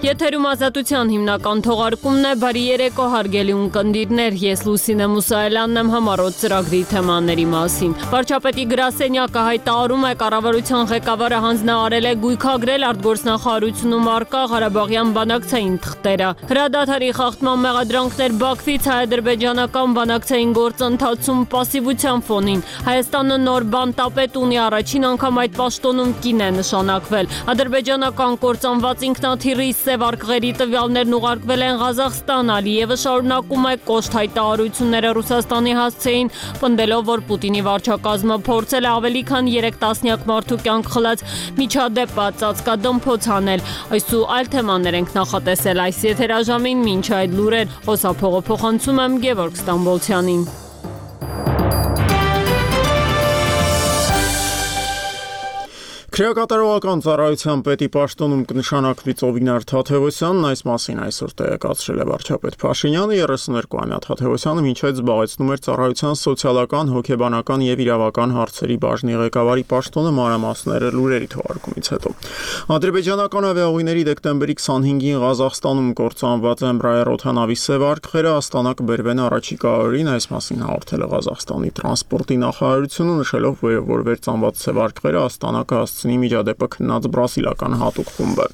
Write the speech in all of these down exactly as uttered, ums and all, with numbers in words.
Եթերում ազատության հիմնական թողարկումն է, բարի երեկո հարգելի ունկնդիրներ, ես Լուսինե Մուսայելյանն եմ համառոտ ծրագրի թեմաների մասին։ Վարչապետի գրասենյակը հայտարարում է, կառավարության ղեկավարը հանձնարարել է գույքագրել արտգործնախարարությունում առկա Ղարաբաղյան բանակցային թղթերը։ Հրադադարի խախտման մեղադրանքներ Բաքվից հայ-ադրբեջանական բանակցային գործընթացում պասիվության ֆոնին։ Հայաստանը նոր բանտապետ ունի, առաջին անգամ այդ պաշտոնում կին է նշանակվել։ Ադրբեջանական կործանված ինքնաթիռի սև արկղերի տվյալներն ուղարկվել են Ղազախստան, Ալիևը շարունակում է կոշտ հայտարարությունները Ռուսաստանի հասցեին, պնդելով, որ Պուտինի վարչակազմը փորձել է ավելի քան երեք տասնյակ մարդու կյանք խլած միջադեպը ծածկադմփոց անել։ Այս ու այլ թեմաներ ենք նախատեսել այս եթերաժամին, մինչ այդ լուրեր խոսափողը փոխանցում եմ Գևորգ Ստամբոլցյանին։ Քրեակատարողական ծառայության պետի պաշտոնում կնշանակվի Ծովինար Թադևոսյանն, այս մասին այսօր տեղեկացրել է վարչապետ Փաշինյանը։ երեսուներկուամյա Թադևոսյանը մինչ այդ զբաղեցնում էր ծառայության սոցիալական, հոգեբանական եւ իրավական հարցերի բաժնի ղեկավարի պաշտոնը, մանրամասները լուրերի թողարկումից հետո։ Ադրբեջանական ավիաուղիների դեկտեմբերի քսանհինգին Ղազախստանում կործանված էմբրայեր-օդանավի սև արկղերը Աստանա կբերվեն առաջիկա օրերին, այս մասին հաղորդել է Ղազախստանի տրանսպորտի նախարարությունը, նշելով, որ վերծանված սև արկղերը Աստանա կհասցնի միջադեպը քննած բրազիլական հատուկ խումբը։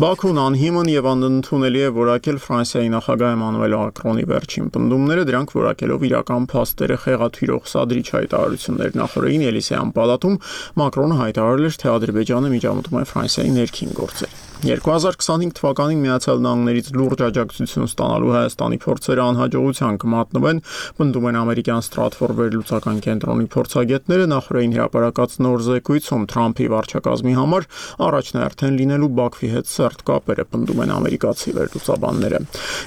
Բաքուն անհիմն եւ անընդունելի է որակել Ֆրանսիայի նախագահ Էմանուել Մակրոնի վերջին պնդումները, դրանք որակելով իրական փաստերը խեղաթյուրող սադրիչ հայտարարություններ նախորդին Էլիսեյան պալատում Մակրոնը հայտարարել էր, թե Ադրբեջանը միջամտում է Ֆրանսիայի ներքին գործեր։ երկու հազար քսանհինգ թվականին Միացյալ Նահանգներից լուրջ աջակցություն ստանալու Հայաստանի փորձերը անհաջողության կմատնվեն, պնդում են ամերիկյան Ստրատֆորդ վերլուծական կենտրոնի փորձագետները, նախորդին հրապարակած նոր զեկույցում Թրամփի վարչակազմի համար առաջնահերթ լինելու Բաքվի հետ սերտ կապերը, պնդում են ամերիկացի վերլուծաբանները։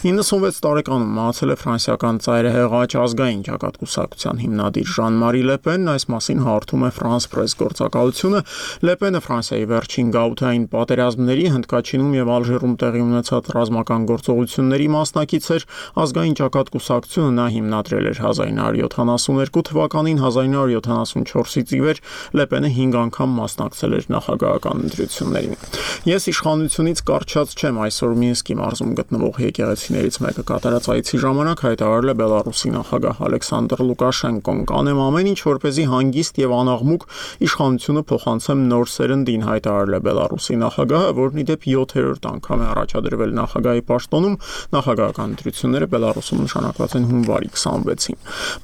իննսունվեց տարեկանում մահացել է ֆրանսիական ծայրահեղաչ ազգային ճակատկուսակցության հիմնադիր Ժան-Մարի Լեպենն, այս մասին հաղորդում է France Press գործակալությունը։ Լեպենը Ֆրանսիայի վերջին գաղութային պատերազմների Հնդկաչինում եւ Ալժիրում տեղի ունեցած ռազմական գործողությունների մասնակից էր, ազգային ճակատկուսակցությունը նա հիմնադրել էր հազար նույն հարյուր յոթանասուններկու թվականին, հազար նույն հարյուր յոթանասունչորսից ի վեր Լեպենը հինգ անգամ մասնակցել էր նախագահական ընտրություններին։ Ես իշխանությունից կարճած չեմ, այսօր Մինսկի մարզում գտնվող եկեղեցիներից մեկը կատարած այցի ժամանակ հայտարարել է Բելարուսի նախագահ Ալեքսանդր Լուկաշենկոն, կանեմ ամեն ինչ, որպեսզի հանգիստ եւ անաղմուկ իշխանությունը փոխանցեմ նոր սերնդին, հայտարարել է Բելարուսի նախագահը, որն իդեպ յոթերորդ անգամ է առաջադրվել նախագահի պաշտոնում, նախագահական ընտրությունները Բելարուսում նշանակված են հունվարի քսանվեցին։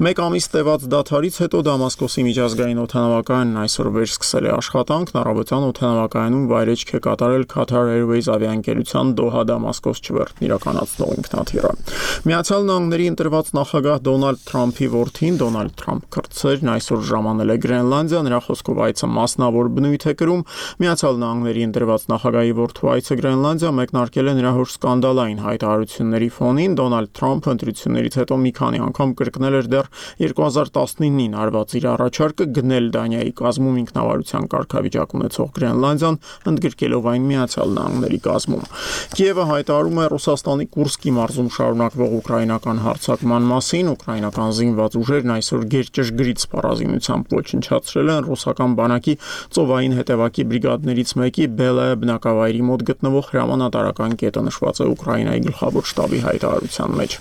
Մեկ ամիս տևած դադարից հետո Դամասկոսի միջազգային օդանավակայանն այսօր վերսկսել է աշխատանքն, առավոտյան օդանավակայանում վայրեջք է կատարել Qatar Airways ավիաընկերության Դոհա-Դամասկոս չվերթն իրականացնող ինքնաթիռը։ Միացյալ Նահանգների ընտրված նախագահ Դոնալդ Թրամփի որդին Դոնալդ Թրամփ կրտսերն այսօր ժամանել է Գրենլանդիա, նրա խոսքով այցը մասնավոր բնույթ է կրում։ Միացյալ Նահանգների ընտրված նախագահի որդու այցը Գրենլանդիա մեկնարկել է նրա հոր սկանդալային հայտարարությունների ֆոնին։ Դոնալդ Թրամփը ընտրություններից հետո մի քանի անգամ կրկնել էր դեռ երկու հազար տասնինին արված իր առաջարկը գնել Դանիայի կազմում ինքնավարության կարգավիճակ ունեցող Գրենլանդիան, ընդգրկելով այն Միացյալ Նահանգների կազմում։ Կիևը հայտարարում է Ռուսաստանի Կուրսկի մարզում շարունակվող ուկրաինական հարձակման մասին։ Ուկրաինական զինված ուժերն այսօր գերճշգրիտ սպառազինությամբ ոչնչացրել են ռուսական բանակի ծովային հետևակի բրիգադներից մեկի Բելայա բնակավայրի մոտ գտնվող հրամանատարական կետը, նշված է Ուկրաինայի գլխավոր շտաբի հայտարարության մեջ։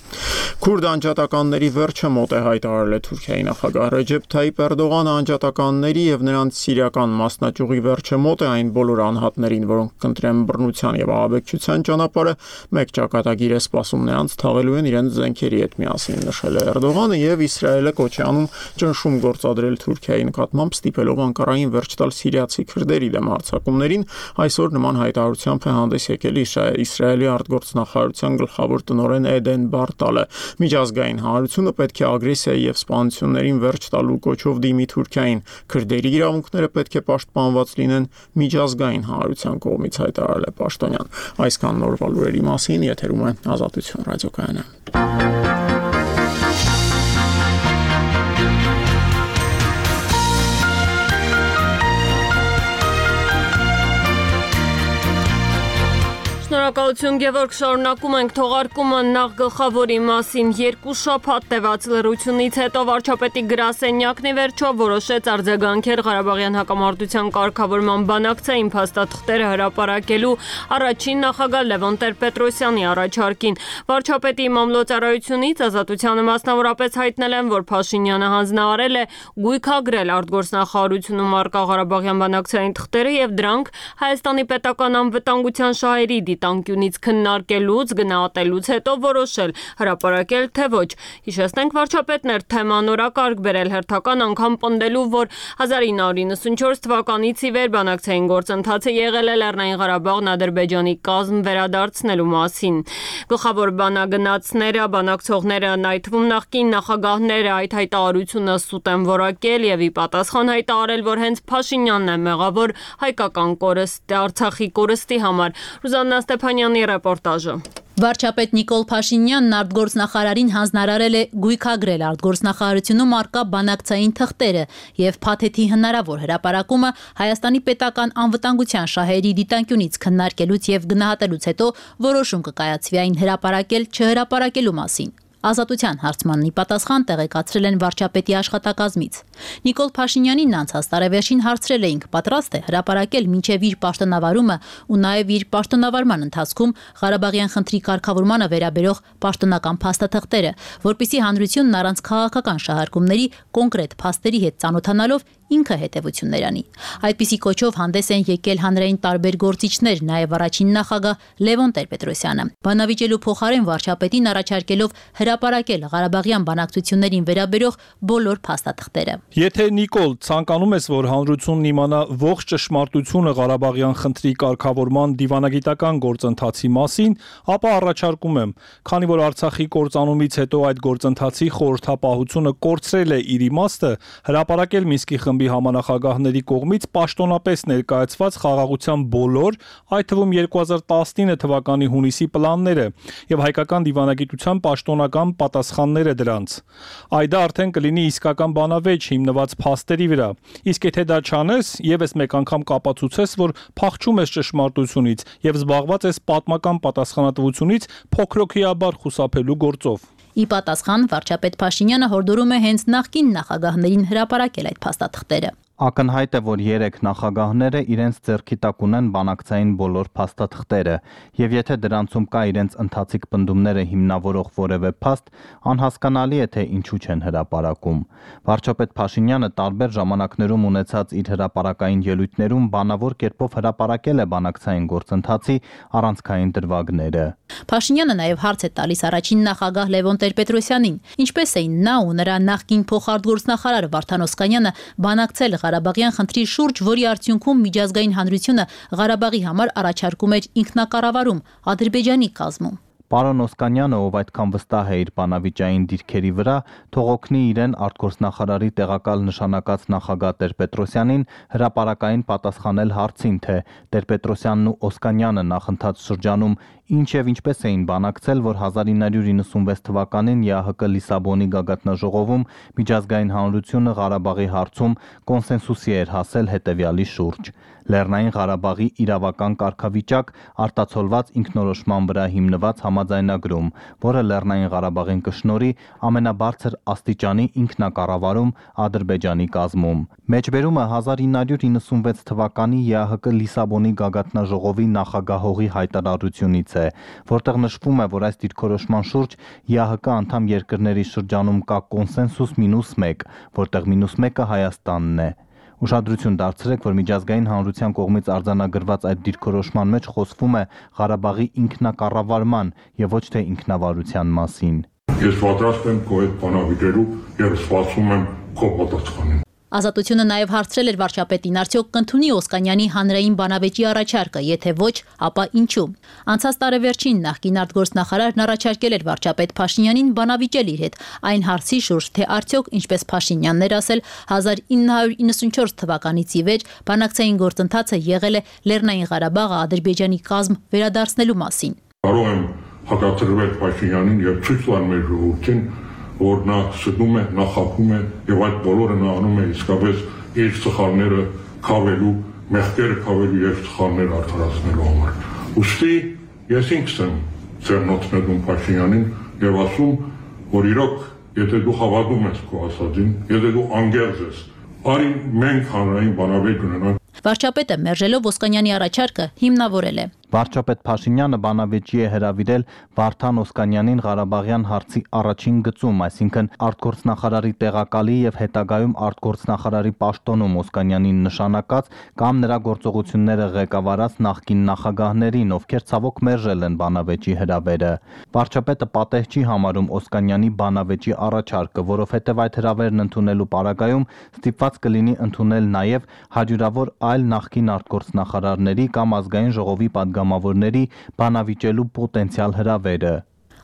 Քուրդ անջատականների վերջը մոտ է, հայտարարել է Թուրքիայի նախագահ Ռեջեփ Թայիփ Էրդողանը։ Անջատականների եւ նրանց սիրիական մասնաճյուղի վերջը մոտ է այն բոլոր անհատներին, որոնք կընտրեն բռնության եւ ահաբեկչության ճանապարհը, մեկ ճակատագիր է սպասում նրանց թաղելու են իրենց զենքերի հետ միասին, նշել է Էրդողանը եւ Իսրայելը կոչ է անում ճնշում գործադրել Թուրքիայի նկատմամբ, ստիպելով Անկարային վերջ տալ սիրիացի քրդերի դեմ հարձակումներին։ Այսօր նման հայտարարությամբ է հանդես եկել Իսրայելի արտգործնախարարության գլխավոր տնօրեն Էդեն Բարտալը։ Միջազգային հանրությունը պետք է ագրեսիայի եւ սպանություններին վերջ տալու կոչով դիմի Թուրքիային։ Քրդերի իրավունքները պետք է պաշտպանված լինեն միջազգային հանրության կողմից, հայտարարել է պաշտոնյան։ Այսքան նորվա լուրերի մասին, եթերում է Ազատություն ռադիոկայանը։ Շնորհակալություն Գևորգ, շարունակում ենք թողարկումը նախ գլխավորի մասին։ Երկու շաբաթ տևած լռությունից հետո վարչապետի գրասենյակն ի վերջո որոշեց արձագանքել Ղարաբաղյան հակամարտության կարգավորման բանակցային փաստաթղթերը հրապարակելու առաջին նախագահ Լևոն Տեր-Պետրոսյանի առաջարկին։ Վարչապետի մամլոյցարայությունից Ազատությանը մասնավորապես հայտնել են, որ Փաշինյանը հանձնարարել է գույքագրել արտգործնախարարությունում առկա Ղարաբաղյան բանակցային թղթերը եւ դրանք Հայաստանի պետական անվտանգության շահերի դիտանկյունից քննարկելուց, գնահատելուց հետո որոշել հրապարակել թե ոչ։ Հիշեցնենք, վարչապետն էր թեման օրակարգ բերել հերթական անգամ պնդելու, որ հազար ինը հարյուր իննսունչորս թվականից ի վեր բանակցային գործընթացը եղել է Լեռնային Ղարաբաղն Ադրբեջանի կազմ վերադարձնելու մասին։ Գլխավոր բանագնացները, բանակցողները, այդ թվում նախկին նախագահները այդ հայտարարությունը սուտ են որակել եւ ի պատասխան հայտարարել, որ հենց Փաշինյանն է մեղավոր հայկական կորստի, Արցախի կորստի համար։ Ռուզաննա Ստեփանյանի ռեպորտաժը։ Վարչապետ Նիկոլ Փաշինյանն արտգործնախարարին հանձնարարել է գույքագրել արտգործնախարարությունում առկա բանակցային թղթերը եւ փաթեթի հնարավոր հրապարակումը Հայաստանի պետական անվտանգության շահերի դիտանկյունից քննարկելուց եւ գնահատելուց հետո որոշում կկայացվի այն հրապարակել չհրապարակելու մասին։ Ազատության հարցմանն ի պատասխան տեղեկացրել են վարչապետի աշխատակազմից։ Նիկոլ Փաշինյանին անցած տարեվերջին հարցրել էինք, պատրաստ է հրապարակել մինչև իր պաշտոնավարումը ու նաև իր պաշտոնավարման ընթացքում Ղարաբաղյան խնդրի կարգավորմանը վերաբերող պաշտոնական փաստաթղթերը, որպիսի հանրությունն առանց քաղաքական շահարկումների կոնկրետ փաստերի հետ ծանոթանալով ինքը հետևություններ անի։ Այդպիսի կոչով հանդես են եկել հանրային տարբեր գործիչներ, նաև առաջին նախագահ Լևոն Տեր-Պետրոսյանը։ Բանավիճելու փոխարեն վարչապետին առաջարկելով հրապարակել Ղարաբաղյան բանակցություններին վերաբերող բոլոր փաստաթղթերը։ Եթե Նիկոլ ցանկանում ես, որ հանրությունն իմանա ողջ ճշմարտությունը Ղարաբաղյան խնդրի կարգավորման դիվանագիտական գործընթացի մասին, ապա առաջարկում եմ, քանի որ Արցախի կործանումից հետո այդ գործընթացի խորհրդապահությունը կորցրել է իր իմաստը, հրապարակել Մինսկի խմբի համանախագահների կողմից պաշտոնապես ներկայացված խաղաղության բոլոր, այդ թվում երկու հազար տասնինը թվականի հունիսի պլանները եւ հայկական դիվանագիտության պաշտոնական պատասխանները դրանց։ Այդ արդեն կլինի իսկական բանավեճ հիմնված փաստերի վրա։ Իսկ եթե դա չանես, եւս մեկ անգամ կապացուցես, որ փախչում ես ճշմարտությունից եւ զբաղված ես պատմական պատասխանատվությունից փոքրոքիաբար խուսափելու գործով։ Ի պատասխան վարչապետ Փաշինյանը հորդորում է հենց նախկին նախագահներին հրապարակել այդ փաստաթղթերը։ Ակնհայտ է, որ երեք նախագահները իրենց ձեռքի տակ ունեն բանակցային բոլոր փաստաթղթերը, եւ եթե դրանցում կա իրենց ընթացիկ պնդումները հիմնավորող որևէ փաստ, անհասկանալի է, թե ինչու չեն հրապարակում։ Վարչապետ Փաշինյանը տարբեր ժամանակներում ունեցած իր հրապարակային ելույթներում բանավոր կերպով հրապարակել է բանակցային գործընթացի առանցքային դրվագները։ Փաշինյանը նաև հարց է տալիս առաջին նախագահ Լևոն Տեր-Պետրոսյանին, ինչպես էին նա ու նրա նախկին փոխարտգործնախարար Վարդան Օսկանյանը բանակցել Ղարաբաղյան խնդրի շուրջ, որի արդյունքում միջազգային հանրությունը Ղարաբաղի համար առաջարկում էր ինքնակառավարում Ադրբեջանի կազմում։ Պարոն Օսկանյանը, ով այդքան վստահ է իր բանավիճային դիրքերի վրա, թող օգնի իրեն արտգործնախարարի տեղակալ նշանակած նախագահ Տեր-Պետրոսյանին հրապարակային պատասխանել հարցին, թե Տեր-Պետրոսյանն ու Օսկանյանը նախընթաց շրջանում ինչ եւ ինչպես էին բանակցել, որ հազար ինը հարյուր իննսունվեց թվականին ԵԱՀԿ Լիսաբոնի գագաթնաժողովում միջազգային հանրությունը Ղարաբաղի հարցում կոնսենսուսի էր հասել հետեւյալի շուրջ. Լեռնային Ղարաբաղի իրավական կարգավիճակ արտացոլված ինքնորոշման վրա հիմնված համաձայնագրում, որը Լեռնային Ղարաբաղին կշնորհի ամենաբարձր աստիճանի ինքնակառավարում Ադրբեջանի կազմում։ Մեջբերումը հազար ինը հարյուր իննսունվեց թվականի ԵԱՀԿ Լիսաբոնի գագաթնաժողովի նախագահողի հայտարարությունից է, որտեղ նշվում է, որ այս դիրքորոշման շուրջ ԵԱՀԿ անդամ երկրների շրջանում կա կոնսենսուս մինուս մեկ, որտեղ մինուս մեկը Հայաստանն է։ Ուշադրություն դարձրեք, որ միջազգային հանրության կողմից արձանագրված այդ դիրքորոշման մեջ խոսվում է Ղարաբաղի ինքնակառավարման եւ ոչ թե ինքնավարության մասին։ Ես պատրաստ եմ քո հետ բանավիճելու եւ սպասում եմ քո պատասխանին։ Ազատությունը նաև հարցրել էր վարչապետին, արդյոք կընդունի Օսկանյանի հանրային բանավեճի առաջարկը, եթե ոչ, ապա ինչու։ Անցած տարեվերջին նախկին արտգործնախարարն առաջարկել էր վարչապետ Փաշինյանին բանավիճել իր հետ այն հարցի շուրջ, թե արդյոք, ինչպես Փաշինյանն էր ասել, հազար ինը հարյուր իննսունչորս թվականից ի վեր բանակցային գործընթացը եղել է Լեռնային Ղարաբաղը Ադրբեջանի կազմ վերադարձնելու մասին։ Կարող եմ հակադրվել Փաշինյանին եւ ցույց տալ մեր ժողովրդին, որ նա սդում է, նա խափում է եւ այդ բոլորը նա անում է իսկապես իր սխալները քավելու, մեղքերը քավելու եւ սխալները արդարացնելու համար։ Ուստի ես ինքս եմ ձեռնոցնեդում Փաշինյանին եւ ասում, որ իրոք, եթե դու հավատում ես քո ասածին, եթե դու անգերձ ես, արի մենք հանրային բանավեճ ունենանք։ Վարչապետը մերժելով Օսկանյանի առաջարկը հիմնավորել է. Վարչապետ Փաշինյանը բանավեճի է հրավիրել Վարդան Օսկանյանին Ղարաբաղյան հարցի առաջին գծում, այսինքն արտգործնախարարի տեղակալի եւ հետագայում արտգործնախարարի պաշտոնում Օսկանյանին նշանակած կամ նրա գործողությունները ղեկավարած նախկին նախագահներին, ովքեր ցավոք մերժել են բանավեճի հրավերը։ Վարչապետը պատեհ չի համարում Օսկանյանի բանավեճի առաջարկը, որովհետեւ այդ հրավերն ընդունելու պարագայում ստիպված կլինի ընդունել նաեւ հարյուրավոր այլ նախկին արտգործնախարարների կամ ազգային ժողովի պատգամավորների բանավիճելու պոտենցիալ հրավերը։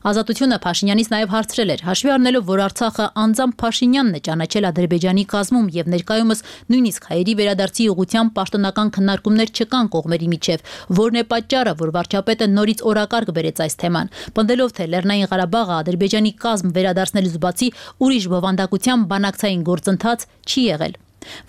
Ազատությունը Փաշինյանից նաև հարցրել էր, հաշվի առնելով, որ Արցախը անձամբ Փաշինյանն է ճանաչել Ադրբեջանի կազմում եւ ներկայումս նույնիսկ հայերի վերադարձի ուղղությամբ պաշտոնական քննարկումներ չկան կողմերի միջև, որն է պատճառը, որ վարչապետը նորից օրակարգ բերեց այս թեման, պնդելով, թե Լեռնային Ղարաբաղը Ադրբեջանի կազմ վերադարձնելուց բացի ուրիշ բովանդակության բանակցային գործընթաց չի եղել։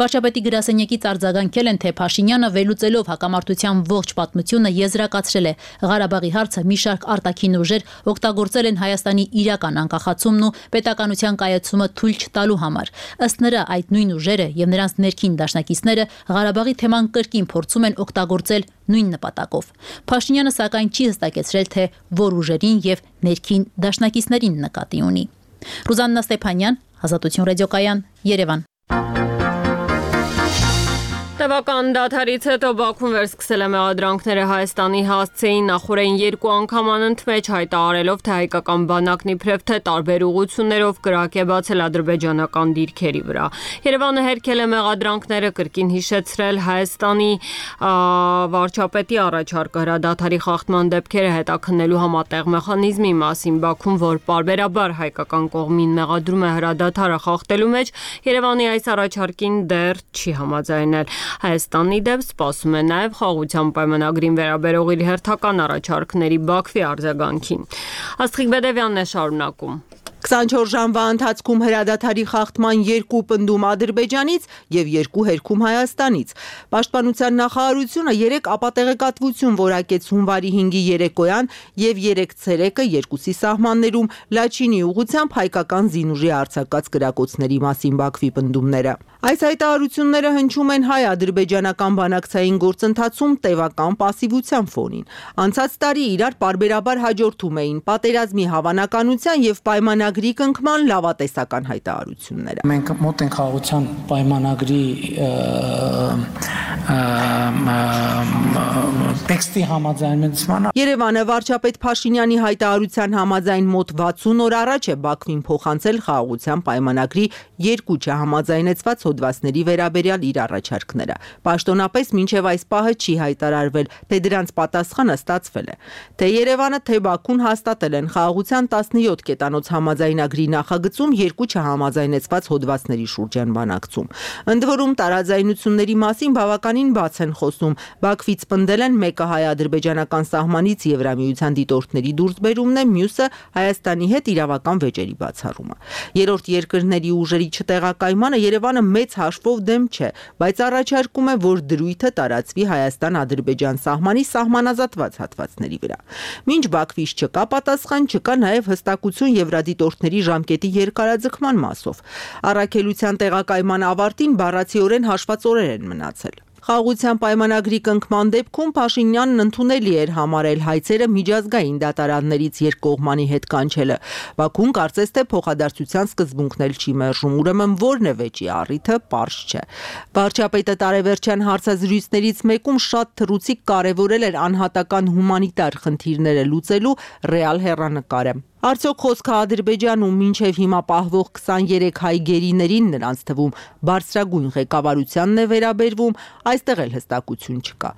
Վարչապետի գրասենյակից արձագանքել են, թե Փաշինյանը վերլուծելով հակամարտության ողջ պատմությունը եզրակացրել է Ղարաբաղի հարցը մի շարք արտաքին ուժեր օգտագործել են Հայաստանի իրական անկախացումն ու պետականության կայացումը թույլ չտալու համար։ Ըստ նրա, այդ նույն ուժերը եւ նրանց ներքին դաշնակիցները Ղարաբաղի թեման կրկին փորձում են օգտագործել նույն նպատակով։ Փաշինյանը սակայն չի հստակեցրել, թե որ ուժերին եւ ներքին դաշնակիցներին նկատի ունի։ Ռուզաննա Ստեփանյան, Ազատություն ռադիոկայան, Երևան։ Տևական դադարից հետո Բաքուն վերսկսել է մեղադրանքները Հայաստանի հասցեին նախորդին երկու անգամ անընդմեջ հայտարարելով, թե հայկական բանակն իբրև թե տարբեր ուղղություններով կրակ է բացել ադրբեջանական դիրքերի վրա։ Երևանը հերքել է մեղադրանքները, կրկին հիշեցրել Հայաստանի վարչապետի առաջարկը հրադադարի խախտման դեպքերը հետաքննելու համատեղ մեխանիզմի մասին։ Բաքուն, որ պարբերաբար հայկական կողմին մեղադրում է հրադադարը խախտելու մեջ, Երևանի այս առաջարկին դեռ չի համաձայնել։ Հայաստանի դեպ սպասում է նաև խաղաղության պայմանագրին վերաբերող իր հերթական առաջարկների Բաքվի արձագանքին։ Աստղիկ Բեդևյանն է շարունակում։ քսանչորս ժամվա ընթացքում հրադադարի խախտման երկու պնդում Ադրբեջանից եւ երկու հերքում Հայաստանից։ Պաշտպանության նախարարությունը երեք ապատեղեկատվություն որակեց հունվարի հինգի երեկոյան եւ երեք ցերեկը երկուսի սահմաններում Լաչինի ուղղությամբ հայկական զինուժի արձակած կրակոցների մասին Բաքվի պնդումները։ Այս հայտարարությունները հնչում են հայ-ադրբեջանական բանակցային գործընթացում տևական պասիվության ֆոնին։ Անցած տարի իրար պարբերաբար հաջորդում էին պատերազմի հավանականության եւ պայմանագրի կնքման լավատեսական հայտարարությունները։ Մենք մոտ ենք խաղաղության պայմանագրի տեքստի համաձայնեցմանը։ Երևանը վարչապետ Փաշինյանի հայտարարության համաձայն մոտ վաթսուն օր առաջ է Բաքվին փոխանցել խաղաղության պայմանագրի երկու չհամաձայնեցված հոդվածների վերաբերյալ իր առաջարկները։ Պաշտոնապես մինչև այս պահը չի հայտարարվել, թե դրանց պատասխանը ստացվել է։ Թե Երևանը, թե Բաքուն հաստատել են խաղաղության տասնյոթ կետանոց համաձայնագրի նախագծում երկու չհամաձայնեցված հոդվածների շուրջ են բանակցում։ Ընդ որում տարաձայնությունների մասին բավականին բաց են խոսում։ Բաքվից պնդել են մեկը հայ-ադրբեջանական սահմանից Եվրամիության դիտորդների դուրսբերումն է, մյուսը Հայաստանի հետ իրավական վեճերի բացառումը։ Երրորդ երկրների ուժերի չտեղակայմանը Երևանը մեծ հաշվով դեմ չէ, բայց առաջարկում է, որ դրույթը տարածվի Հայաստան-Ադրբեջան սահմանի սահմանազատված հատվածների վրա։ Մինչ Բաքվից չկա պատասխան, չկա նաև հստակություն եվրադիտորդների ժամկետի երկարաձգման մասով։ Առաքելության տեղակայման ավարտին բառացիորեն հաշված օրեր են մնացել։ Խաղաղության պայմանագրի կնքման դեպքում Փաշինյանն ընդունելի էր համարել հայցերը միջազգային դատարաններից երկկողմանի հետ կանչելը։ Բաքուն կարծես թե փոխադարձության սկզբունքն էլ չի մերժում, ուրեմն որն է վեճի առիթը, պարզ չէ։ Վարչապետը տարեվերջյան հարցազրույցներից մեկում շատ թռուցիկ կարևորել էր անհատական հումանիտար խնդիրները լուծելու ռեալ հեռանկարը։ Արդյոք խոսքը Ադրբեջանում մինչև հիմա պահվող քսաներեք հայ գերիներին նրանց թվում բարձրագույն ղեկավարությանն է վերաբերվում, այստեղ էլ հստակություն չկա։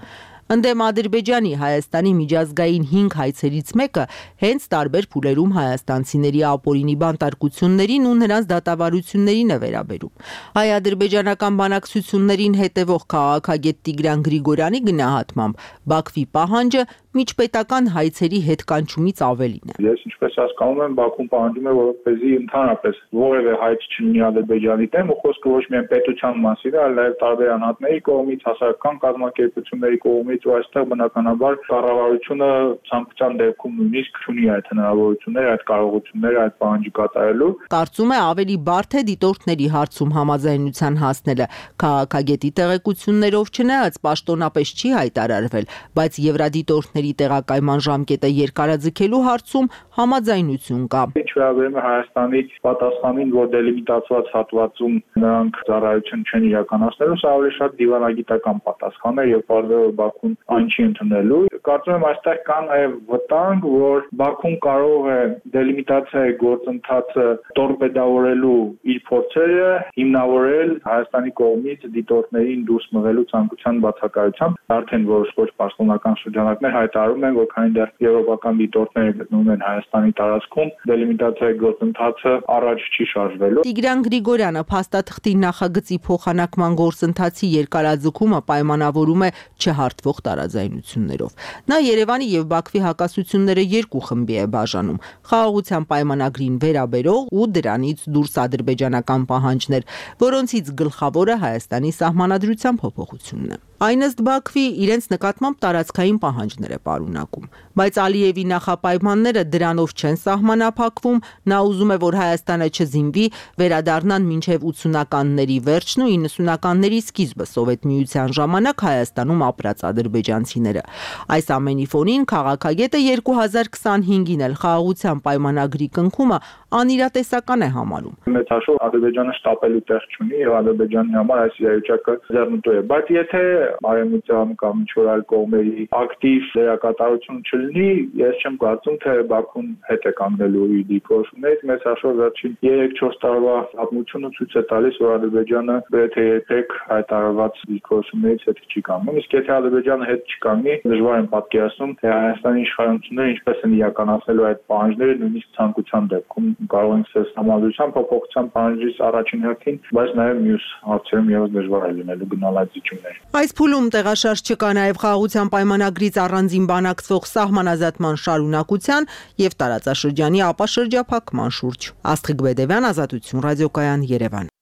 Ընդդեմ Ադրբեջանի Հայաստանի միջազգային հինգ հայցերից մեկը հենց տարբեր փուլերում հայաստանցիների ապօրինի բանտարկություններին ու նրանց դատավարություններին է վերաբերում։ Հայ-ադրբեջանական բանակցություններին հետևող քաղաքագետ Տիգրան Գրիգորյանի գնահատմամբ Բաքվի պահանջը միջպետական հայցերի հետ կանչումից ավելին է։ Ես ինչպես հասկանում եմ, Բաքուն պահանջում է, որպեսզի ընդհանրապես որևէ հայց չլինի Ադրբեջանի դեմ, ու խոսքը ոչ միայն պետության մասին է, այլ նաև տարբեր անհատների կողմից, հասարակական կազմակերպությունների կողմից կողմից ու այստեղ բնականաբար կառավարությունը ցանկության դեպքում նույնիսկ չունի այդ հնարավորությունները, այդ կարողությունները, այդ պահանջը կատարելու։ Կարծում է ավելի բարդ է դիտորդների հարցում համաձայնության հասնելը։ Քաղաքագետի տեղեկություններով չնայած պաշտոնապես չի հայտարարվել, բայց եվրադիտորդների տեղակայման ժամկետը երկարաձգելու հարցում համաձայնություն կա։ Ինչ վերաբերում է Հայաստանի պատասխանին, որ դելիմիտացված հատվածում նրանք ծառայություն չեն իրականացնելու, սա ավելի շատ դիվանագիտական պատասխան է եւ բարձր Բաքուն այն չի ընդունելու։ Կարծում եմ այստեղ կա նաեւ վտանգ, որ Բաքուն կարող է դելիմիտացիայի գործընթացը տորպեդավորելու իր փորձերը հիմնավորել Հայաստանի կողմից դիտորդներին դուրս մղելու ցանկության բացակայությամբ։ Արդեն որոշ ոչ պաշտոնական շրջանակներ հայտարարում են, որ քանի դեռ եվրոպական դիտորդները գտնվում են Հայաստանի տարածքում, դելիմիտացիայի գործընթացը առաջ չի շարժվելու։ Տիգրան Գրիգորյանը փաստաթղթի նախագծի փոխանակման գործընթացի երկարաձգումը պայմանավորում է չհարթվող տարաձայնություններով։ Նա Երևանի եւ Բաքվի հակասությունները երկու խմբի է բաժանում՝ խաղաղության պայմանագրին վերաբերող ու դրանից դուրս ադրբեջանական պահանջներ, որոնցից գլխավորը Հայաստանի սահմանադրության փոփոխությունն է։ Այն ըստ Բաքվի իրենց նկատմամբ տարածքային պահանջներ է պարունակում, բայց Ալիևի նախապայմանները դրանով չեն սահմանափակվում, նա ուզում է, որ Հայաստանը չզինվի, վերադառնան մինչև ութսունականների վերջն ու իննսունականների սկիզբը Սովետ միության ժամանակ Հայաստանում ապրած ադրբեջանցիները։ Այս ամենի ֆոնին քաղաքագետը երկու հազար քսանհինգին էլ խաղաղության պայմանագրի կնքումը անիրատեսական է համարում։ Մեծ հաշվով Ադրբեջանը շտապելու տեղ չունի եւ Ադրբեջանի համար այս իրավիճակը ձեռնտու է, բայց եթե Արևմուտյան կամ ինչ-որ այլ կողմերի ակտիվ դերակատարություն չլինի, ես չեմ կարծում, թե Բաքուն հետ է կանգնելու իր դիրքորոշումներից։ Մեծ հաշվով վերջին երեք-չորս տարվա պատմությունը ցույց է տալիս, որ Ադրբեջանը գրեթե երբեք հայտարարված դիրքորոշումներից հետ չի կանգնում։ Իսկ եթե Ադրբեջանը հետ չկանգնի, դժվար եմ պատկերացնում, թե Հայաստանի իշխանությունները ինչպես են իրականացնելու այդ պահանջները, նույնիսկ ցանկության դեպքում կարող են ցես համադրության փոփոխության պահանջից առաջին հերթին, բայց նաև մյուս հարցերում եւս դժվար է լինելու գնալ այդ զիջումներ։ Այս փուլում տեղաշարժ չկա նաև խաղաղության պայմանագրից առանձին բանակցվող սահմանազատման շարունակության եւ տարածաշրջանի ապաշրջափակման շուրջ։ Աստղիկ Բեդևյան, Ազատություն, ռադիոկայան, Երևան։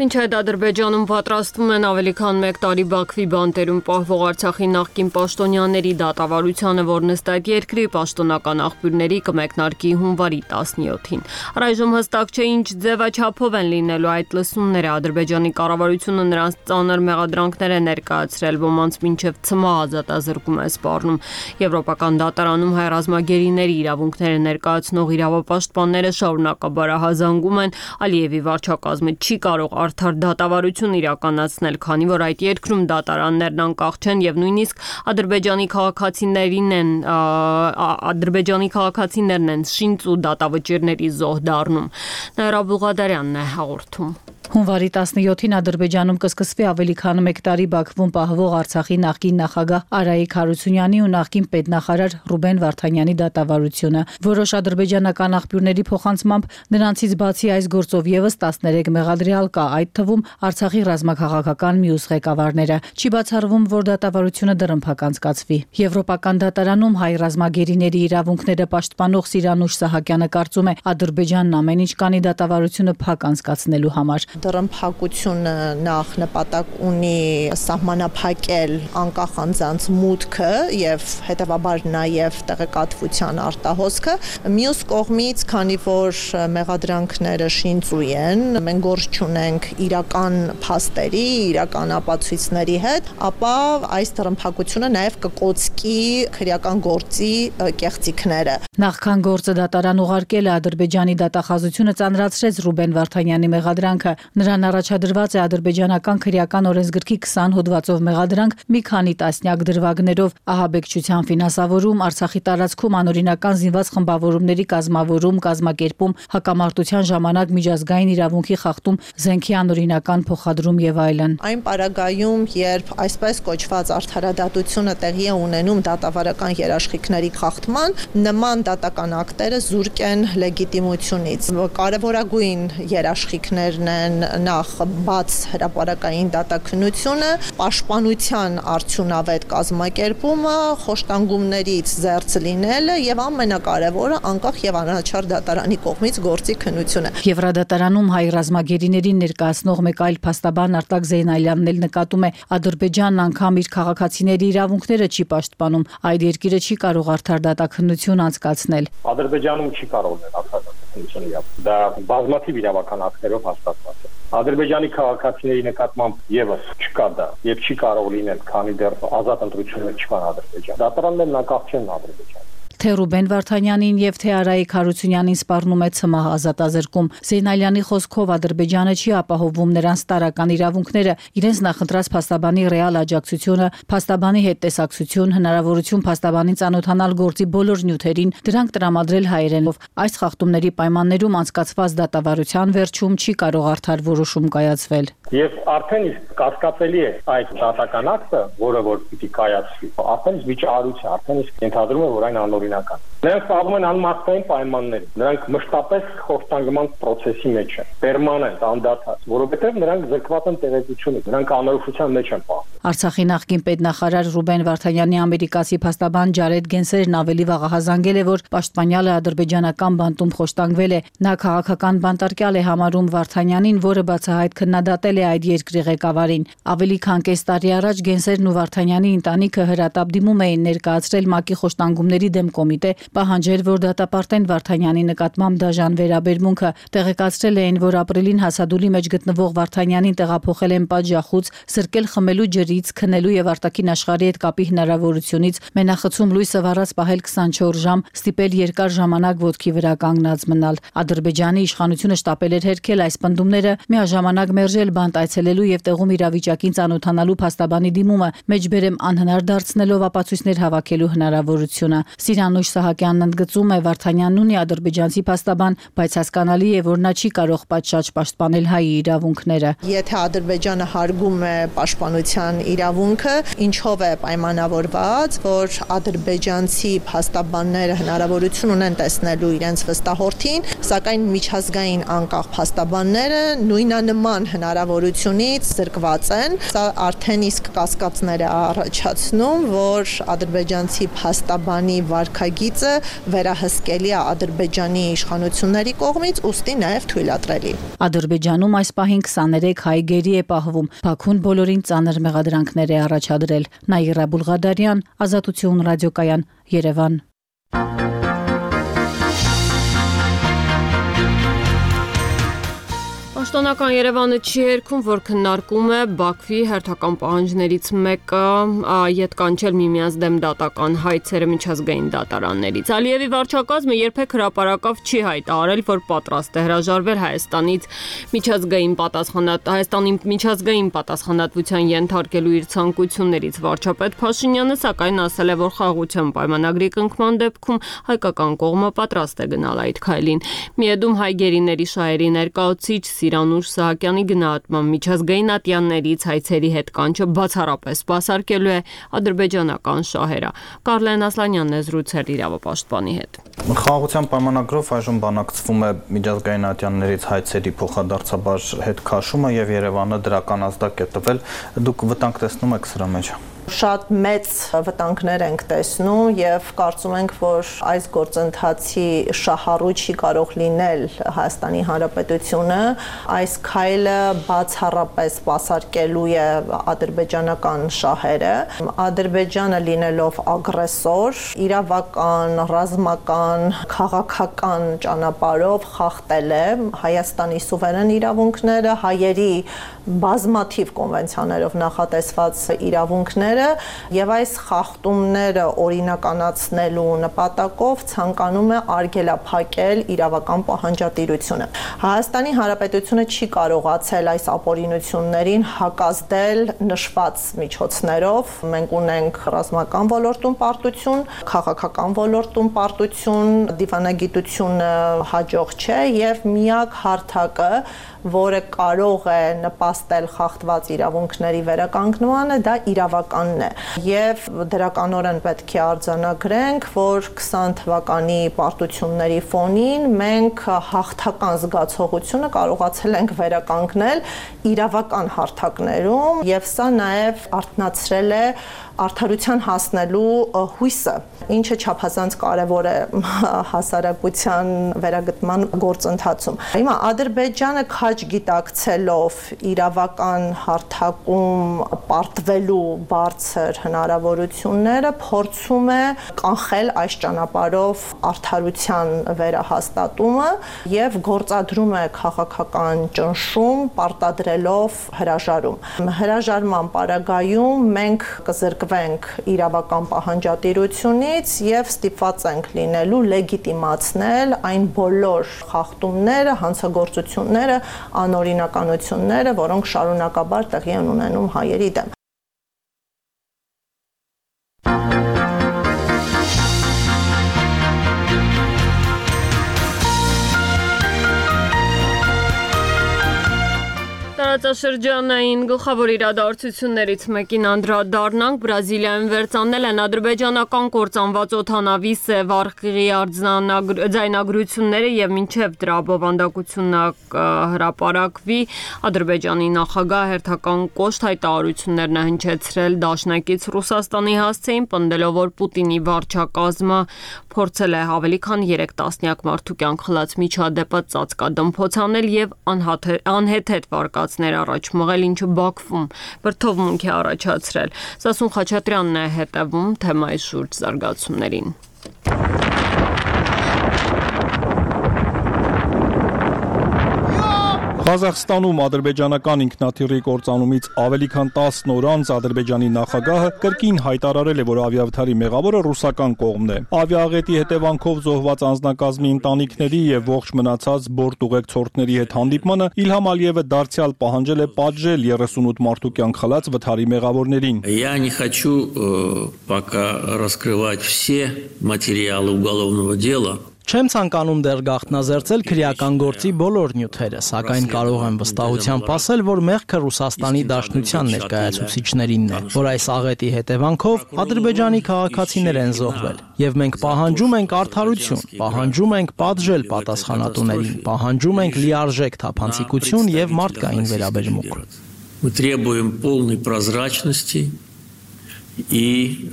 Մինչ այդ Ադրբեջանում պատրաստվում են ավելի քան մեկ տարի Բաքվի բանտերում պահվող Արցախի նախկին պաշտոնյաների դատավարությանը, որն ըստ այդ երկրի պաշտոնական աղբյուրների կմեկնարկի հունվարի տասնյոթին։ Առայժմ հստակ չէ ինչ ձևաչափով են լինելու այդ լսումները։ Ադրբեջանի կառավարությունը նրանց ծանր մեղադրանքներ է ներկայացրել, ոմանց մինչև ցմահ ազատազրկում է սպառնում։ Եվրոպական դատարանում հայ ռազմագերիների իրավունքները ներկայացնող իրավապաշտպանները շարունակաբար հազանգում են Ալիևի վարչակազմը չի կարող արդար դատավարություն իրականացնել, քանի որ այդ երկրում դատարաններն անկախ չեն եւ նույնիսկ Ադրբեջանի քաղաքացիներին են Ադրբեջանի քաղաքացիներն են շինծ ու դատավճիռների զոհ դառնում։ Նաիրա Բուղադարյանն է հաղորդում։ Հունվարի տասնյոթին Ադրբեջանում կսկսվի ավելի քան մեկ տարի Բաքվում պահվող Արցախի նախկին նախագահ Արայիկ Հարությունյանի ու նախկին պետնախարար Ռուբեն Վարդանյանի դատավարությունը։ Որոշ ադրբեջանական աղբյուրների փոխանցմամբ նրանցից բացի այս գործով եւս տասներեք մեղադրյալ կա, այդ թվում Արցախի ռազմաքաղաքական մյուս ղեկավարները։ Չի բացառվում, որ դատավարությունը դռնփակ անցկացվի։ Եվրոպական դատարանում հայ ռազմագերիների իրավունքները պաշտպանող Սիրանուշ Սահակյանը կարծում է, Ադրբեջանն ամեն ինչ կանի դատավարությունը փակ անցկացնելու համար։ Դռնփակությունը նախ նպատակ ունի սահմանափակել անկախ անձանց մուտքը եւ հետեւաբար նաեւ տեղեկատվության արտահոսքը։ Մյուս կողմից, քանի որ մեղադրանքները շինծու են, մենք գործ չունենք իրական փաստերի, իրական ապացույցների հետ, ապա այս դռնփակությունը նաեւ կկոծկի քրեական գործի կեղծիքները։ Նախքան գործը դատարան ուղարկել է Ադրբեջանի դատախազությունը ծանրացրեց Ռուբեն Վարդանյանի մեղադրանքը։ Նրան առաջադրված է ադրբեջանական քրեական օրենսգրքի քսան հոդվածով մեղադրանք, մի քանի տասնյակ դրվագներով, ահաբեկչության ֆինանսավորում, Արցախի տարածքում անօրինական զինված խմբավորումների կազմավորում, կազմակերպում, հակամարտության ժամանակ միջազգային իրավունքի խախտում, զենքի անօրինական փոխադրում եւ այլն։ Այն պարագայում, երբ այսպես կոչված արդարադատությունը տեղի է ունենում դատավարական երաշխիքների խախտման, նման դատական ակտերը զուրկ են լեգիտիմությունից։ Կարևորագույն երաշխիքներն են նախ բաց հրապարակային դատաքննությունը, պաշտպանության արդյունավետ կազմակերպումը, խոշտանգումներից զերծ լինելը եւ ամենակարևորը անկախ եւ անհրաժեշտ դատարանի կողմից գործի քննությունը։ Եվրադատարանում հայ ռազմագերիներին ներկայացնող մեկ այլ փաստաբան Արտակ Զեյնալյանն էլ նկատում է, Ադրբեջանն անգամ իր քաղաքացիների իրավունքները չի պաշտպանում, այդ երկիրը չի կարող արդար դատաքննություն անցկացնել։ Ադրբեջանում չի կարող լինել արդար դատաքննություն իրավ։ Դա բազմաթիվ իրավական ակտերով հաստատված է։ Ադրբեջանի քաղաքացիների նկատմամբ եւս չկա դա եւ չի կարող լինել, քանի դեռ ազատ ընտրություններ չկան Ադրբեջանում։ Դատարաններն անկախ չեն Ադրբեջանում։ Թե Ռուբեն Վարդանյանին եւ թե Արայիկ Հարությունյանին սպառնում է ՑՄՀ ազատազրկում։ Զեյնալյանի խոսքով Ադրբեջանը չի ապահովում նրանց տարական իրավունքները, իրենց նախընտրած փաստաբանի ռեալ աջակցությունը, փաստաբանի հետ տեսակցություն, հնարավորություն փաստաբանին ծանոթանալ գործի բոլոր նյութերին, դրանք տրամադրել հայերենով։ Այս խախտումների պայմաններում անցկացված դատավարության վերջում չի կարող արդար որոշում կայացվել։ Եվ արդեն իսկ կասկածելի է այդ դատական ակտը, որը որ պիտի կայացվի։ Արդեն իսկ վիճահարույց է, արդեն իսկ ենթադրում է, որ այն անօրինական։ Նրանք խաղում են անմարդկային պայմաններում։ Նրանք մշտապես խոշտանգման process-ի մեջ են, պերմանենտ, անդադար, որովհետև նրանք զրկված են տեղեկությունից, նրանք անորոշության մեջ են պահվում։ Արցախի նախկին պետնախարար Ռուբեն Վարդանյանի ամերիկացի փաստաբան Ջարեդ Գենսերն ավելի վաղ ահազանգել է, որ պաշտպանյալը ադրբեջանական բանտում խոշտանգվել է։ Նա քաղաքական բանտարկյալ է համարում Վարդանյանին, որը բացահայտ քննադատել է այդ երկրի ղեկավարին։ Ավելի քան կես տարի առաջ Գենսերն ու Վարդանյանի ընտանիքը հրատապ դիմում էին ներկայացրել ՄԱԿ-ի խոշտանգումների դեմ կոմիտե, պահանջել, որ դատապարտեն Վարդանյանի նկատմամբ դաժան վերաբերմունքը, տեղեկացրել էին, որ ապրիլին հասադուլի մեջ գտնվող Վարդանյանին տեղափոխել են պատժախուց, սրկել խմելու ջրից, քնելու եւ արտաքին աշխարհի հետ կապի հնարավորությունից, մենախցում լույսը վառած պահել քսանչորս ժամ, ստիպել երկար ժամանակ ոտքի վրա կանգնած մնալ։ Ադրբեջանի իշխանությունը շտապել էր հերքել այս պնդումները, միաժամանակ մերժել բանտ այցելելու եւ տեղում իրավիճակին ծանոթանալու փաստաբանի դիմումը, մեջբերեմ անհնար դարձնելով ապացույցներ հավաքելու հնարավորությունը։ Սիրանուշ Սահակյանն ընդգծում է, Վարդանյանն ունի ադրբեջանցի փաստաբան, բայց հասկանալի է, որ նա չի կարող պատշաճ պաշտպանել հայի իրավունքները։ Եթե Ադրբեջանը հարգում է պաշտպանության իրավունքը, ինչով է պայմանավորված, որ ադրբեջանցի փաստաբանները հնարավորություն ունեն տեսնելու իրենց վստահորդին, սակայն միջազգային անկախ փաստաբանները նույնանման հնարավորությունից զրկված են։ Սա արդեն իսկ կասկածներ է առաջացնում, որ ադրբեջանցի փաստաբանի վարքագիծը վերահսկելի է Ադրբեջանի իշխանությունների կողմից, ուստի նաև թույլատրելի։ Ադրբեջանում այս պահին քսաներեք հայ գերի է պահվում։ Բաքուն բոլորին ծանր մեղադրանքներ է առաջադրել։ Նաիրա Բուլղադարյան, Ազատություն ռադիոկայան, Երևան։ Պաշտոնական Երևանը չի երգում, որ քննարկում է Բաքվի հերթական պահանջներից մեկը ետ կանչել միմյանց դեմ դատական հայցերը միջազգային դատարաններից։ Ալիևի վարչակազմը երբեք հրապարակավ չի հայտարարել, որ պատրաստ է հրաժարվել Հայաստանից միջազգային պատասխանատ Հայաստանի միջազգային պատասխանատվության ենթարկելու իր ցանկություններից։ Վարչապետ Փաշինյանը սակայն ասել է, որ խաղաղության պայմանագրի կնքման դեպքում հայկական կողմը պատրաստ է գնալ այդ քայլին։ Միեդում հայ գերիների շահերի ներկայացուցիչ Սիրանուշ Սահակյանի գնահատմամբ միջազգային ատյաններից հայցերի հետ կանչը բացառապես սպասարկելու է ադրբեջանական շահերը։ Կարլեն Ասլանյանն է զրուցել իրավապաշտպանի հետ։ Խաղաղության պայմանագրով այժմ բանակցվում է միջազգային ատյաններից հայցերի փոխադարձաբար հետ քաշումը եւ Երևանը դրական ազդակ է տվել։ Դուք վտանգ տեսնում եք սրա մեջ։ Շատ մեծ վտանգներ ենք տեսնում եւ կարծում ենք, որ այս գործընթացի շահառու չի կարող լինել Հայաստանի Հանրապետությունը, այս քայլը բացառապես սպասարկելու է ադրբեջանական շահերը։ Ադրբեջանը լինելով ագրեսոր, իրավական, ռազմական, քաղաքական ճանապարհով խախտել է Հայաստանի սուվերեն իրավունքները, հայերի բազմաթիվ կոնվենցիաներով նախատեսված իրավունքները եւ այս խախտումները օրինականացնելու նպատակով ցանկանում է արգելափակել իրավական պահանջատիրությունը։ Հայաստանի Հանրապետությունը չի կարողացել այս ապօրինություններին հակազդել նշված միջոցներով։ Մենք ունենք ռազմական ոլորտում պարտություն, քաղաքական ոլորտում պարտություն, դիվանագիտությունը հաջող չէ եւ միակ հարթակը, որը կարող է նպաստել խախտված իրավունքների վերականգնմանը, դա իրավական թվականն է եւ դրականորեն պետք է արձանագրենք, որ քսան թվականի պարտությունների ֆոնին մենք հաղթական զգացողությունը կարողացել ենք վերականգնել իրավական հարթակներում եւ սա նաեւ արթնացրել է արդարության հասնելու հույսը, ինչը չափազանց կարևոր է հասարակության վերագտման գործընթացում։ Հիմա Ադրբեջանը քաջ գիտակցելով իրավական հարթակում պարտվելու բարձր հնարավորությունները փորձում է կանխել այս ճանապարհով արդարության վերահաստատումը եւ գործադրում է քաղաքական ճնշում պարտադրելով հրաժարում։ Հրաժարման պարագայում մենք կզրկվենք իրավական պահանջատիրությունից եւ ստիպված ենք լինելու լեգիտիմացնել այն բոլոր խախտումները, հանցագործությունները, անօրինականությունները, որոնք շարունակաբար տեղի են ունենում հայերի դեմ։ Տարածաշրջանային գլխավոր իրադարձություններից մեկին անդրադառնանք, Բրազիլիայում վերծանել են ադրբեջանական կործանված օդանավի Սև արխիվի ձայնագրությունները եւ մինչեւ դրա բովանդակությունը հրապարակվի, Ադրբեջանի նախագահ հերթական կոշտ հայտարարություններն է հնչեցրել դաշնակից Ռուսաստանի հասցեին, պնդելով, որ Պուտինի վարչակազմը փորձել է ավելի քան երեք տասնյակ մարդու կյանք խլած միջադեպը ծածկադմփոց անել եւ անհեթեթ վարկածներ առաջ մղել, ինչը Բաքվում բրդովմունք է առաջացրել։ Սասուն Խաչատրյանն է հետևում թեմայի շուրջ զարգացումներին։ Ղազախստանում ադրբեջանական ինքնաթիռի կործանումից ավելի քան տասն օր անց Ադրբեջանի նախագահը կրկին հայտարարել է, որ ավիավթարի մեղավորը ռուսական կողմն է։ Ավիաաղետի հետևանքով զոհված անձնակազմի ընտանիքների եւ ողջ մնացած բորտ ուղեկցորդների հետ հանդիպմանը Իլհամ Ալիևը դարձյալ պահանջել է պատժել երեսունութ մարդու կյանք խլած վթարի մեղավորներին։ Я не хочу пока раскрывать все материалы уголовного дела. Չեմ ցանկանում դեռ գաղտնազերծել քրեական գործի բոլոր նյութերը, սակայն կարող եմ վստահությամբ ասել, որ մեղքը Ռուսաստանի Դաշնության ներկայացուցիչներինն է, որ այս աղետի հետևանքով Ադրբեջանի քաղաքացիներ են զոհվել, եւ մենք պահանջում ենք արդարություն, պահանջում ենք պատժել պատասխանատուներին, պահանջում ենք լիարժեք թափանցիկություն եւ մարդկային վերաբերմունք։ Мы требуем полной прозрачности и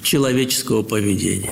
человеческого поведения.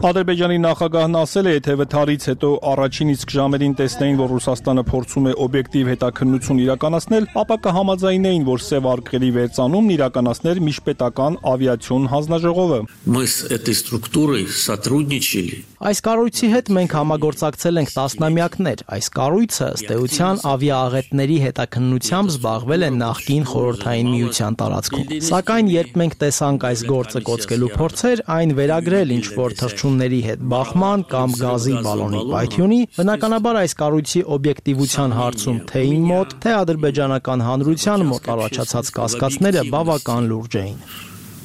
Ադրբեջանի նախագահն ասել է, եթե վթարից հետո առաջին իսկ ժամերին տեսնեին, որ Ռուսաստանը փորձում է օբյեկտիվ հետաքննություն իրականացնել, ապա կհամաձայնեին, որ Սև արխիվի վերծանումն իրականացներ միջպետական ավիացիոն հանձնաժողովը։ Мы с этой структурой сотрудничали. Այս կառույցի հետ մենք համագործակցել ենք տասնամյակներ։ Այս կառույցը ըստ էության ավիաաղետների հետաքննությամբ զբաղվել է նախկին խորհրդային միության տարածքում։ Սակայն երբ մենք տեսանք այս գործը կոծկելու փորձեր, այն վերագրել ինչ որ թռչունների հետ բախման կամ գազի բալոնի պայթյունի, բնականաբար այս կառույցի օբյեկտիվության հարցում թե իմ մոտ, թե ադրբեջանական հանրության մոտ առաջացած կասկածները բավական լուրջ էին։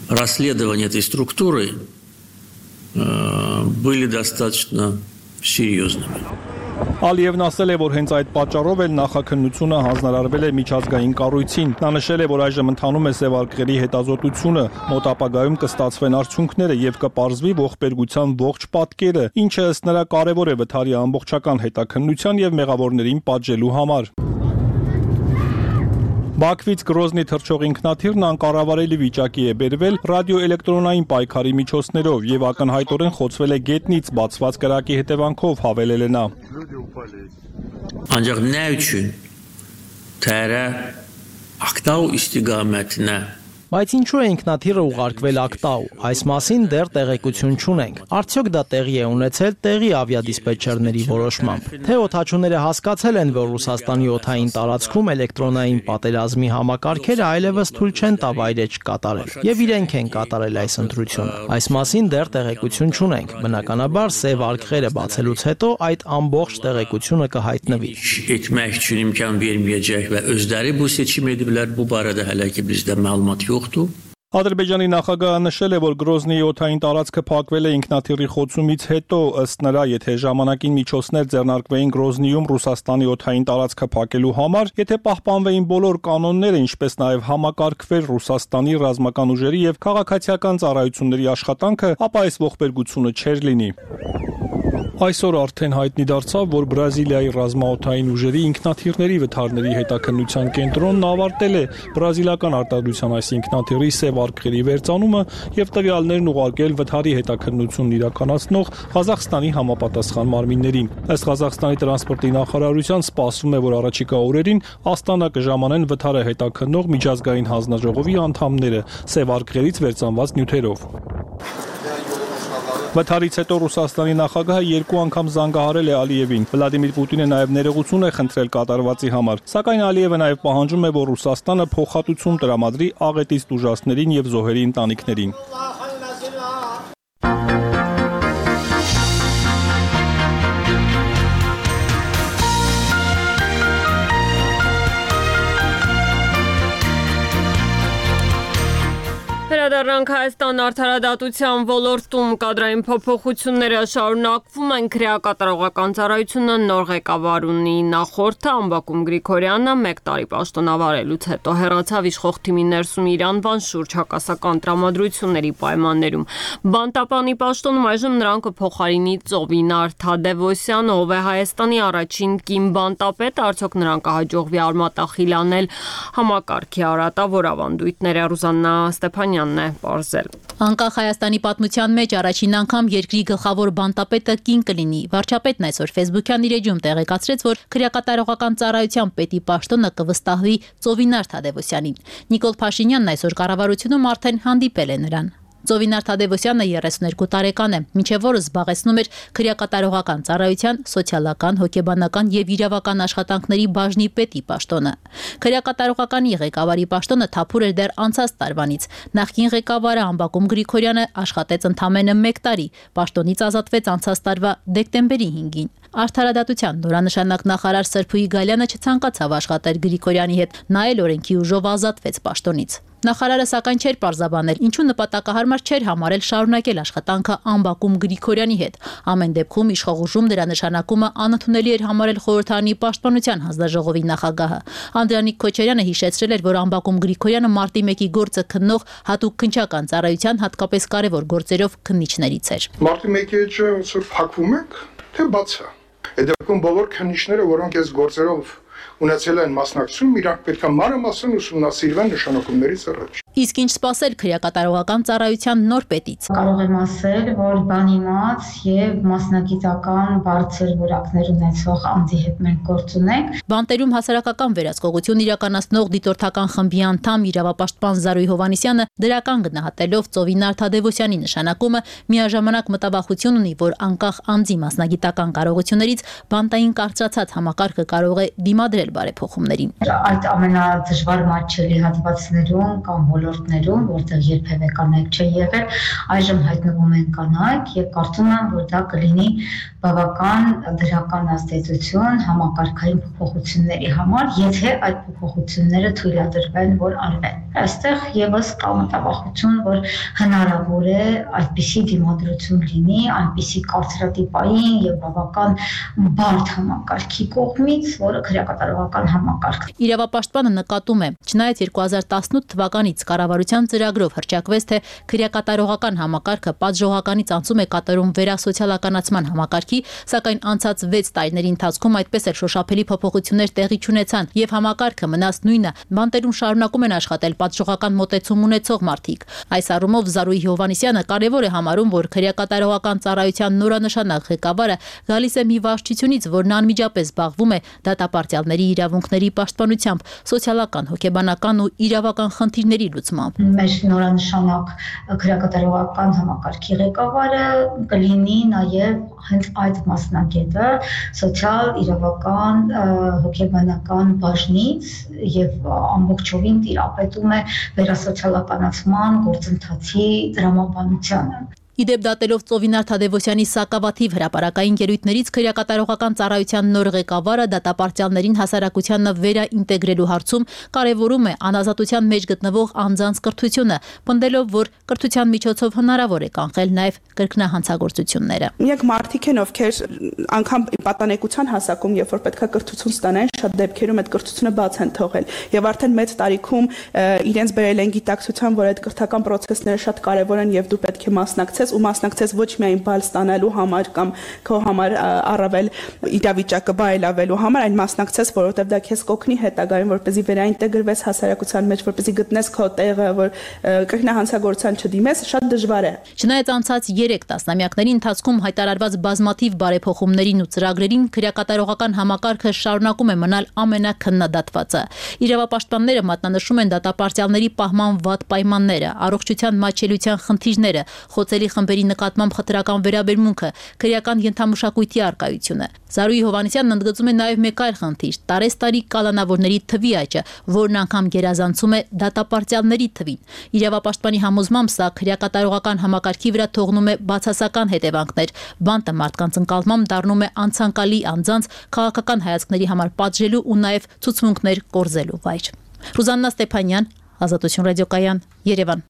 Расследование этой структуры были достаточно серьезными. Ալիևն ասել է, որ հենց այդ պատճառով էլ նախաքննությունը հանձնարարվել է միջազգային կառույցին։ Նա նշել է, որ այժմ ընթանում է Սև արխիվի հետազոտությունը, մոտ ապագայում կստացվեն արդյունքները եւ կպարզվի ողբերգության ողջ պատկերը, ինչը ըստ նրա կարեւոր է վթարի ամբողջական հետաքննության եւ մեղավորներին պատժելու համար։ Բաքվից Գրոզնի թռչող ինքնաթիռն անկառավարելի վիճակի է բերվել ռադիոէլեկտրոնային պայքարի միջոցներով եւ ակնհայտորեն խոցվել է գետնից բացված կրակի հետևանքով, հավելել է նա։ Ancaq nə üçün Tərə Aqtau istiqamətinə Բայց ինչու է ինքնաթիռը ուղարկվել Ակտաու, այս մասին դեռ տեղեկություն չունենք։ Արդյոք դա տեղի է ունեցել տեղի ավիադիսպետչերների որոշմամբ։ Թե օդաչուները հասկացել են, որ Ռուսաստանի օդային տարածքում էլեկտրոնային պատերազմի համակարգերը այլևս թույլ չեն տա վայրեջք կատարել, եւ իրենք են կատարել այս ընտրությունը։ Այս մասին դեռ տեղեկություն չունենք։ Բնականաբար Սև արխիվը բացելուց հետո այդ ամբողջ տեղեկությունը կհայտնվի։ Etmək üçün imkan verməyəcək və özləri bu seçim ediblər. Bu barədə hələ ki bizdə məlumat yoxdur. Ադրբեջանի նախագահը նշել է, որ Գրոզնիի օդային տարածքը փակվել է ինքնաթիռի խոցումից հետո, ըստ նրա, եթե ժամանակին միջոցներ ձեռնարկվեին Գրոզնիում Ռուսաստանի օդային տարածքը փակելու համար, եթե պահպանվեին բոլոր կանոնները, ինչպես նաև համակարգվեր Ռուսաստանի ռազմական ուժերի եւ քաղաքացիական ծառայությունների աշխատանքը, ապա այս ողբերգությունը չէր լինի։ Այսօր արդեն հայտնի դարձավ, որ Բրազիլիայի ռազմաօդային ուժերի ինքնաթիռների վթարների հետաքննության կենտրոնն ավարտել է բրազիլական արտադրության այս ինքնաթիռի սև արկղերի վերծանումը եւ տվյալներն ուղարկել վթարի հետաքննությունն իրականացնող Ղազախստանի համապատասխան մարմիններին։ Ըստ Ղազախստանի տրանսպորտի նախարարության սպասվում է, որ առաջիկա օրերին Աստանա կժամանեն վթարը հետաքննող միջազգային հանձնաժողովի անդամները սև արկղերից վերծանված նյութերով։ Վթարից հետո Ռուսաստանի նախագահը երկու անգամ զանգահարել է Ալիևին։ Վլադիմիր Պուտինը նաև ներողություն է խնդրել կատարվածի համար, սակայն Ալիևը նաև պահանջում է, որ Ռուսաստանը փոխհատուցում տրամադրի աղետից տուժածներին եւ զոհերի ընտանիքներին։ Վերադառնանք Հայաստան արդարադատության ոլորտում կադրային փոփոխությունները շարունակվում են քրեակատարողական ծառայությունը նոր ղեկավար ունի նախորդը Ամբակում Գրիգորյանը մեկ տարի պաշտոնավարելուց հետո հեռացավ իշխող թիմի ներսում իր անվան շուրջ հակասական տրամադրությունների պայմաններում։ Բանտապանի պաշտոնում այժմ նրան կփոխարինի Ծովինար Թադևոսյանը, ով է Հայաստանի առաջին կին բանտապետը, արդյոք նրան կհաջողվի արմատախիլանել համակարգի արատավոր ավանդույթները։ Ռուզաննա Ստեփանյանն է պարզել։ Անկախ Հայաստանի պատմության մեջ առաջին անգամ երկրի գլխավոր բանտապետը կին կլինի։ Վարչապետն այսօր Facebook-յան իր էջում տեղեկացրեց, որ քրեակատարողական ծառայության պետի պաշտոնը կվստահվի Ծովինար Թադևոսյանին։ Նիկոլ Փաշինյանն այսօր կառավարությունում արդեն հանդիպել է նրան։ Ծովինար Թադևոսյանը երեսուներկու տարեկան է, մինչև որը զբաղեցնում էր քրեակատարողական ծառայության, սոցիալական, հոգեբանական եւ իրավական աշխատանքների բաժնի պետի պաշտոնը։ Քրեակատարողականի ղեկավարի պաշտոնը թափուր էր դեռ անցած տարվանից։ Նախկին ղեկավարը Ամբակում Գրիգորյանը աշխատեց ընդամենը մեկ տարի, պաշտոնից ազատվեց անցած տարվա դեկտեմբերի հինգին։ Արդարադատության նորանշանակ նախարար Սրփուհի Գալյանը չցանկացավ աշխատել Գրիգորյանի հետ, նա էլ օրենքի ուժով ազատվեց պաշտոնից։ Նախարարը սակայն չէր պարզաբանել, ինչու նպատակահարմար չէր համարել շարունակել աշխատանքը Ամբակում Գրիգորյանի հետ։ Ամեն դեպքում իշխող ուժում դրա նշանակումը անընդունելի էր համարել խորհրդարանի պաշտպանության հանձնաժողովի նախագահը։ Անդրանիկ Քոչարյանը հիշեցրել էր, որ Ամբակում Գրիգորյանը մարտի մեկի գործը քննող հատուկ քննչական ծառայության հատկապես կարևոր գործերով քննիչներից էր։ Մարտի մեկի էջը փակվում եք, թե բաց է։ Այդ դեպքում բոլոր քննիչները, որոնք այս գործերով ունեցել են մասնակցություն, իրանք պետք է մանրամասն ուսումնասիրվեն նշանակումներից առաջ։ Իսկ ինչ սպասել քրեակատարողական ծառայության նոր պետից։ Կարող եմ ասել, որ բանիմաց եւ մասնագիտական բարձր որակներ ունեցող անձի հետ մենք գործ ունենք։ Բանտերում հասարակական վերահսկողություն իրականացնող դիտորդական խմբի անդամ իրավապաշտպան Զարուհի Հովհաննիսյանը դրական գնահատելով Ծովինար Թադևոսյանի նշանակումը միաժամանակ մտավախություն ունի, որ անկախ անձի մասնագիտական կարողություններից բանտային կարծրացած համակարգը կարող է դիմադրել բարեփոխումներին։ Այդ ամենադժվար մատչելի հատվածներում կամ ոլորտներում, որտեղ երբևէ կանայք չէ եղել, այժմ հայտնվում են կանայք եւ կարծում եմ, որ դա կլինի բավական դրական ազդեցություն համակարգային փոփոխությունների համար, եթե այդ փոփոխությունները թույլատրվեն, որ արվեն։ Այստեղ եւս կա մտավախություն, որ հնարավոր է այդպիսի դիմադրություն լինի, այնպիսի կարծրատիպային եւ բավական բարդ համակարգի կողմից, որը քրեակատարողական համակարգ։ Իրավապաշտպանը նկատում է, չնայած երկու հազար տասնութ թվականից կառավարության ծրագրով հռչակվեց, թե քրեակատարողական համակարգը պատժողականից անցում է կատարում վերասոցիալականացման համակարգի, սակայն անցած վեց տարիների ընթացքում այդպես էլ շոշափելի փոփոխություններ տեղի չունեցան եւ համակարգը մնաց նույնը։ Բանտերում շարունակում են աշխատել պատժողական մոտեցում ունեցող մարդիկ։ Այս առումով Զարուհի Հովհաննիսյանը կարևոր է համարում, որ քրեակատարողական ծառայության նորանշանակ ղեկավարը գալիս է մի վարչությունից, որն անմիջապես զբաղվում է դատապարտյալների իրավունքների պաշտպանությամբ, սոցիալական, հոգեբանական ու իրավական խնդիրների լուծմամբ։ Մեր նորանշանակ քրեակատարողական համակարգի ղեկավարը կլինի նաև հենց այդ մասնագետը սոցիալ, իրավական, հոգեբանական բաժնից եւ ամբողջովին տիրապետում է վերասոցիալականացման գործընթացի տրամաբանությանը։ Իդեպ դատելով Ծովինար Թադևոսյանի սակավաթիվ հրապարակային ելույթներից քրեակատարողական ծառայության նոր ղեկավարը դատապարտյալներին հասարակությանը վերաինտեգրելու հարցում կարևորում է անազատության մեջ գտնվող անձանց կրթությունը, պնդելով, որ կրթության միջոցով հնարավոր է կանխել նաև կրկնահանցագործությունները։ Միակ մարդիկ են, ովքեր անգամ պատանեկության հասակում, երբ որ պետքա կրթություն ստանան, շատ դեպքերում այդ կրթությունը բաց են թողել եւ արդեն մեծ տարիքում իրենց բերել են գիտակցության, որ այդ կրթական process-ները շատ կարևոր են եւ դու պետք է մասնակցես ու մասնակցես ոչ միայն բալ ստանալու համար կամ քո համար առավել իրավիճակը բարելավելու համար, այլ մասնակցես, որովհետեւ դա քեզ կօգնի հետագայում, որպեսզի վերաինտեգրվես հասարակության մեջ, որպեսզի գտնես քո տեղը, որ կրկնահանցագործության չդիմես, շատ դժվար է։ Չնայած անցած երեք տասնամյակների ընթացքում հայտարարված բազմաթիվ բարեփոխումներին ու ծրագրերին քրեակատարողական համակարգը շարունակում է մնալ ամենաքննադատվածը։ Իրավապաշտպանները մատնանշում են դատապարտյալների պահման վատ պայմանները, առողջության մատչելիության խնդիրները, խոցելի խմբերի նկատմամբ խտրական վերաբերմունքը, քրեական ենթամշակույթի առկայությունը։ Զարուհի Հովհաննիսյանն ընդգծում է նաև մեկ այլ խնդիր՝ տարեստարի կալանավորների թվի աճը, որն անգամ գերազանցում է դատապարտյալների թվին։ Իրավապաշտպանի համոզմամբ սա քրեակատարողական համակարգի վրա թողնում է բացասական հետևանքներ, բանտը մարդկանց ընկալմամբ դառնում է անցանկալի անձանց քաղաքական հայացքների համար պատժելու ու նաև ցուցմունքներ կորզելու վայր։ Ռուզաննա Ստեփանյան, Ազատություն ռադիոկայան, Երևան։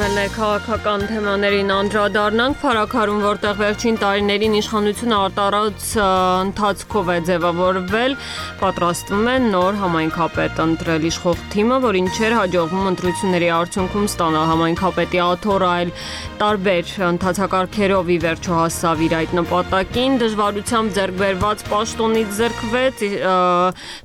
Մելներ քաղաքական թեմաներին անդրադառնանք, Փարաքարում, որտեղ վերջին տարիներին իշխանությունը արտարած ընթացքով է ձևավորվել, պատրաստվում է նոր համայնքապետ ընտրել իշխող թիմը, որին չէր հաջողվում ընտրությունների արդյունքում ստանալ համայնքապետի աթոռը, այլ տարբեր ընթացակարգերով ի վերջո հասավ իր այդ նպատակին, դժվարությամբ ձեռք բերված պաշտոնից զրկվեց,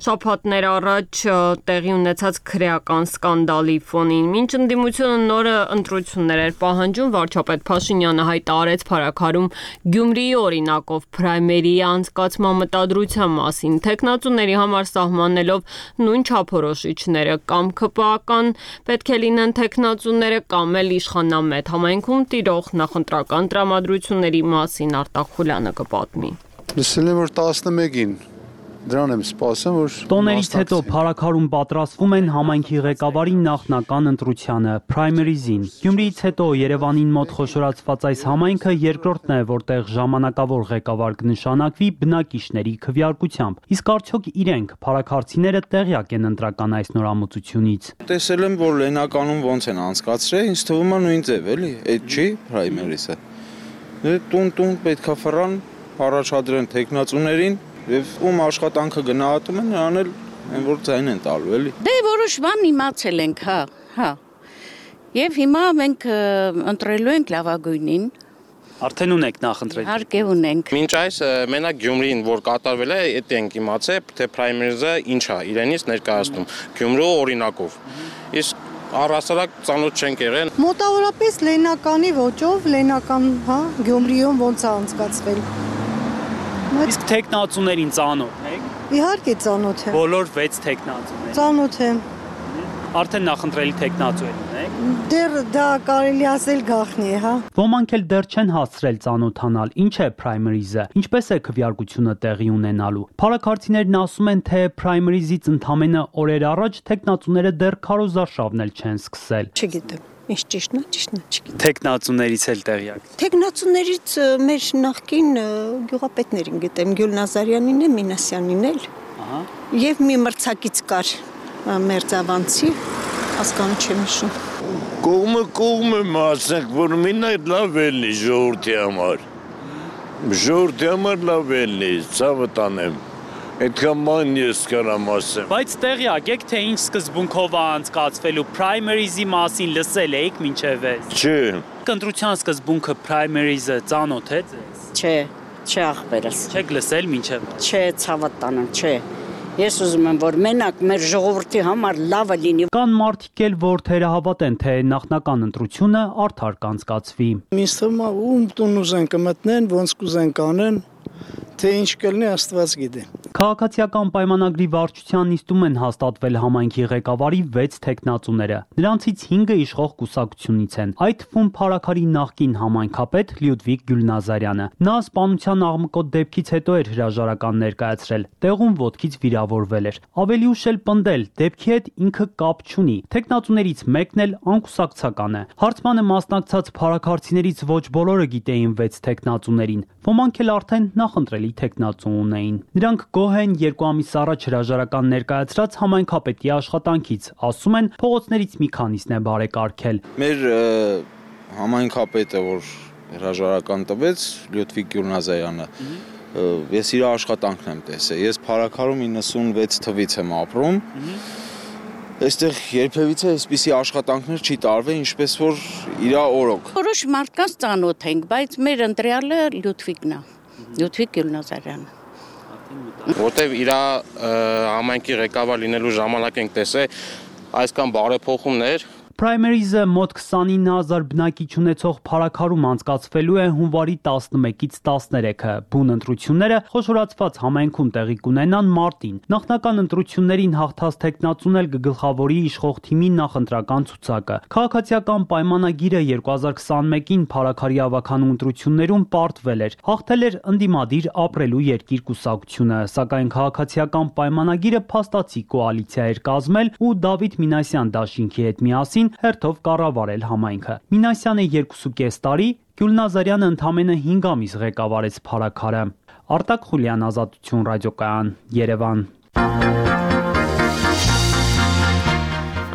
շաբաթներ առաջ տեղի ունեցած քրեական սկանդալի ֆոնին, մինչ ընդդիմությունը նորը ընտրություններ էր պահանջում, վարչապետ Փաշինյանը հայտարարեց Փարաքարում Գյումրիի օրինակով պրայմերի անցկացման մտադրության մասին, թեկնածուների համար սահմանելով նույն չափորոշիչները, կամ ԿՊԱ-կան պետք է լինեն թեկնածուները, կամ էլ իշխանամետ համայնքում տիրող նախընտրական տրամադրությունների մասին Արտակ Խուլյանը կպատմի։ Լսել եմ, որ տասնմեկին Դրան եմ սպասում, որ տոներից հետո Փարաքարում պատրաստվում են համայնքի ղեկավարի նախնական ընտրությանը, պրայմերիզին։ Գյումրիից հետո Երևանին մոտ խոշորացված այս համայնքը երկրորդն է, որտեղ ժամանակավոր ղեկավար կնշանակվի բնակիչների քվեարկությամբ։ Իսկ արդյոք իրենք փարաքարցիները տեղյակ են ընտրական այս նորամուծությունից։ Տեսել եմ, որ լենականում ոնց են անցկացրել, ինձ թվում է նույն ձև էլի, այդ չի պրայմերիսը։ Տուն-տուն պետքա ֆռան առաջադրեն տեխնացուներին Եվ ում աշխատանքը գնահատում են, նրան էլ այն որ ձայն են տալու, էլի։ Դե որոշ բան իմացել ենք, հա, հա։ Եվ հիմա մենք ընտրելու ենք լավագույնին։ Արդեն ունենք նախընտրել։ Իհարկե ունենք։ Մինչ այս մենակ Գյումրին, որ կատարվել է, այդ ենք իմացել, թե պրայմերիզը ինչ է, իրենից ներկայացնում, Գյումրու օրինակով։ Իսկ առհասարակ ծանոթ չենք եղել։ Մոտավորապես լենականի ոճով, լենական, հա, Գյումրիում ոնց է անցկացվել։ Իսկ տեխնացուներին ծանոթ եք։ Իհարկե ծանոթ եմ։ Բոլոր վեց տեխնացուներ։ Ծանոթ եմ։ Արդեն նախընտրելի տեխնացուեր ունեք։ Դեռ դա կարելի ասել գաղտնի է, հա։ Ոմանք էլ դեռ չեն հասցրել ծանոթանալ, ինչ է պրայմերիզը, ինչպես է քվեարկությունը տեղի ունենալու։ Փարաքարցիներն ասում են, թե պրայմերիզից ընդամենը օրեր առաջ տեխնացուները դեռ քարոզարշավն էլ չեն սկսել։ Չգիտեմ։ Ինչ ճիշտն է, ճիշտն է, չգիտեմ։ Տեխնացուներից էլ տեղյակ։ Տեխնացուներից մեր նախկին գյուղապետներին գիտեմ, Գյուլ Նազարյանին է, Մինասյանին էլ։ Ահա։ Եվ մի մրցակից կար Մերձավանցի, հասկանում չեմ հիշում։ Կողմը կողմը մասնակ, որ մինը լավ ելնի ժողովրդի համար։ Ժողովրդի համար լավ ելնի, ցավը տանեմ։ Այդքան ման ես կարամ ասեմ։ Բայց տեղյակ եք, թե ինչ սկզբունքով է անցկացվելու պրայմերիզի մասին լսել եք մինչև այս։ Չէ։ Ընտրության սկզբունքը պրայմերիզը ծանոթ է ձեզ։ Չէ, չէ ախպերս։ Չեք լսել մինչև։ Չէ, ցավը տանեմ, չէ։ Ես ուզում եմ, որ մենակ մեր ժողովրդի համար լավը լինի։ Կան մարդիկ էլ, որ թերահավատ են, թե նախնական ընտրությունը արդար կանցկացվի։ Ինձ թվում է ում տուն ուզեն կմտնեն, ոնց կուզեն կանեն, թե ինչ կլինի Աստված գիտի։ Քաղաքացիական պայմանագրի վարչության նիստում են հաստատվել համայնքի ղեկավարի վեց թեկնածուները։ Նրանցից հինգը իշխող կուսակցությունից են, այդ թվում Փարաքարի նախկին համայնքապետ Լյուդվիգ Գյուլնազարյանը։ Նա սպանության աղմկոտ դեպքից հետո էր հրաժարական ներկայացրել, տեղում ոտքից վիրավորվել էր։ Ավելի ուշ էլ պնդել, դեպքի հետ ինքը կապ չունի։ Թեկնածուներից մեկն էլ անկուսակցական է։ Հարցմանը մասնակցած փարաքարցիներից ոչ բոլորը գիտեին վեց թեկնածուներին, ոմանք էլ արդեն նախընտրելի թեկնածու ունեին։ Նրանք գոհ են երկու ամիս առաջ հրաժարական ներկայացրած համայնքապետի աշխատանքից, ասում են, փողոցներից մի քանիսն է բարեկարգել։ Մեր համայնքապետը, որ հրաժարական տվեց, Լյուդվիգ Գյուլնազարյանը, ես իր աշխատանքն եմ տեսել։ Ես Փարաքարում իննսունվեց թվից եմ ապրում։ Այստեղ երբևիցե այսպիսի աշխատանքներ չի տարվել, ինչպես որ իր օրոք։ Որոշ մարդկանց ծանոթ ենք, բայց մեր ընտրյալը Լյուդվիգն է, Լյուդվիգ Գյուլնազարյանը։ Որտեւ իր համայնքի ղեկավար լինելու ժամանակ ենք տեսել այսքան բարեփոխումներ։ Primaries-ը մոտ քսանինը հազար բնակիչ ունեցող Փարաքարում անցկացվելու է հունվարի տասնմեկից տասներեքը։ Բուն ընտրությունները խոշորացված համայնքում տեղի կունենան մարտին։ Նախնական ընտրություններին հաղթած թեկնածուն էլ կգլխավորի իշխող թիմի նախընտրական ցուցակը։ Քաղաքացիական պայմանագիրը երկու հազար քսանմեկին Փարաքարի ավականու ընտրություններում պարտվել էր։ Հաղթել էր ընդդիմադիր ապրելու երկիր կուսակցությունը, սակայն քաղաքացիական պայմանագիրը փաստացի կոալիցիա էր կազմել ու Դավիթ Մինասյան դաշինքի հետ միասին հերթով կառավարել համայնքը։ Մինասյանը երկուսուկես տարի, Գյուլնազարյանը ընդամենը հինգ ամիս ղեկավարեց Փարաքարը։ Արտակ Խուլյան, Ազատություն ռադիոկայան, Երևան։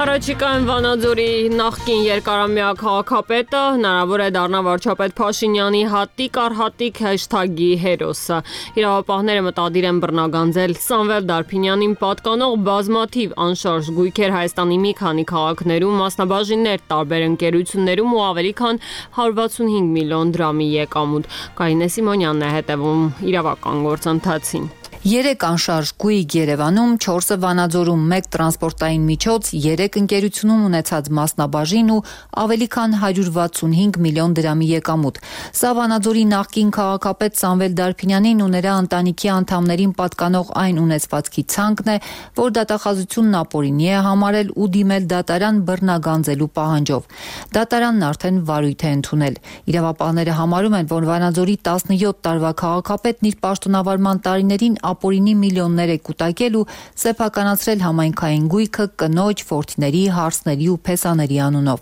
Առաջիկայում Վանաձորի նախկին երկարամյա քաղաքապետը հնարավոր է դառնա վարչապետ Փաշինյանի հատիկ առ հատիկ հեշթագի հերոսը։ Իրավապահները մտադիր են բռնագանձել Սամվել Դարփինյանին պատկանող բազմաթիվ անշարժ գույքեր Հայաստանի մի քանի քաղաքներում, մասնաբաժիններ տարբեր ընկերություններում ու ավելի քան հարյուր վաթսունհինգ միլիոն դրամի եկամուտ։ Կարինե Սիմոնյանն է հետևում իրավական գործընթացին։ Երեք անշարժ գույք Երևանում, չորսը Վանաձորում, մեկ տրանսպորտային միջոց, երեք ընկերությունում ունեցած մասնաբաժին ու ավելի քան հարյուր վաթսունհինգ միլիոն դրամի եկամուտ։ Սա Վանաձորի նախկին քաղաքապետ Սամվել Դարփինյանին ու նրա ընտանիքի անդամներին պատկանող այն ունեցվածքի ցանկն է, որ դատախազությունն ապօրինի է համարել ու դիմել դատարան բռնագանձելու պահանջով։ Դատարանն արդեն վարույթ է ընդունել։ Իրավապահները համարում են, որ Վանաձորի տասնյոթ տարվա քաղաքապետն իր պաշտոնավարման տարիներին ապօրինի միլիոններ է կուտակել ու սեփականացրել համայնքային գույքը կնոջ, ֆորթիների, հարսների ու փեսաների անունով։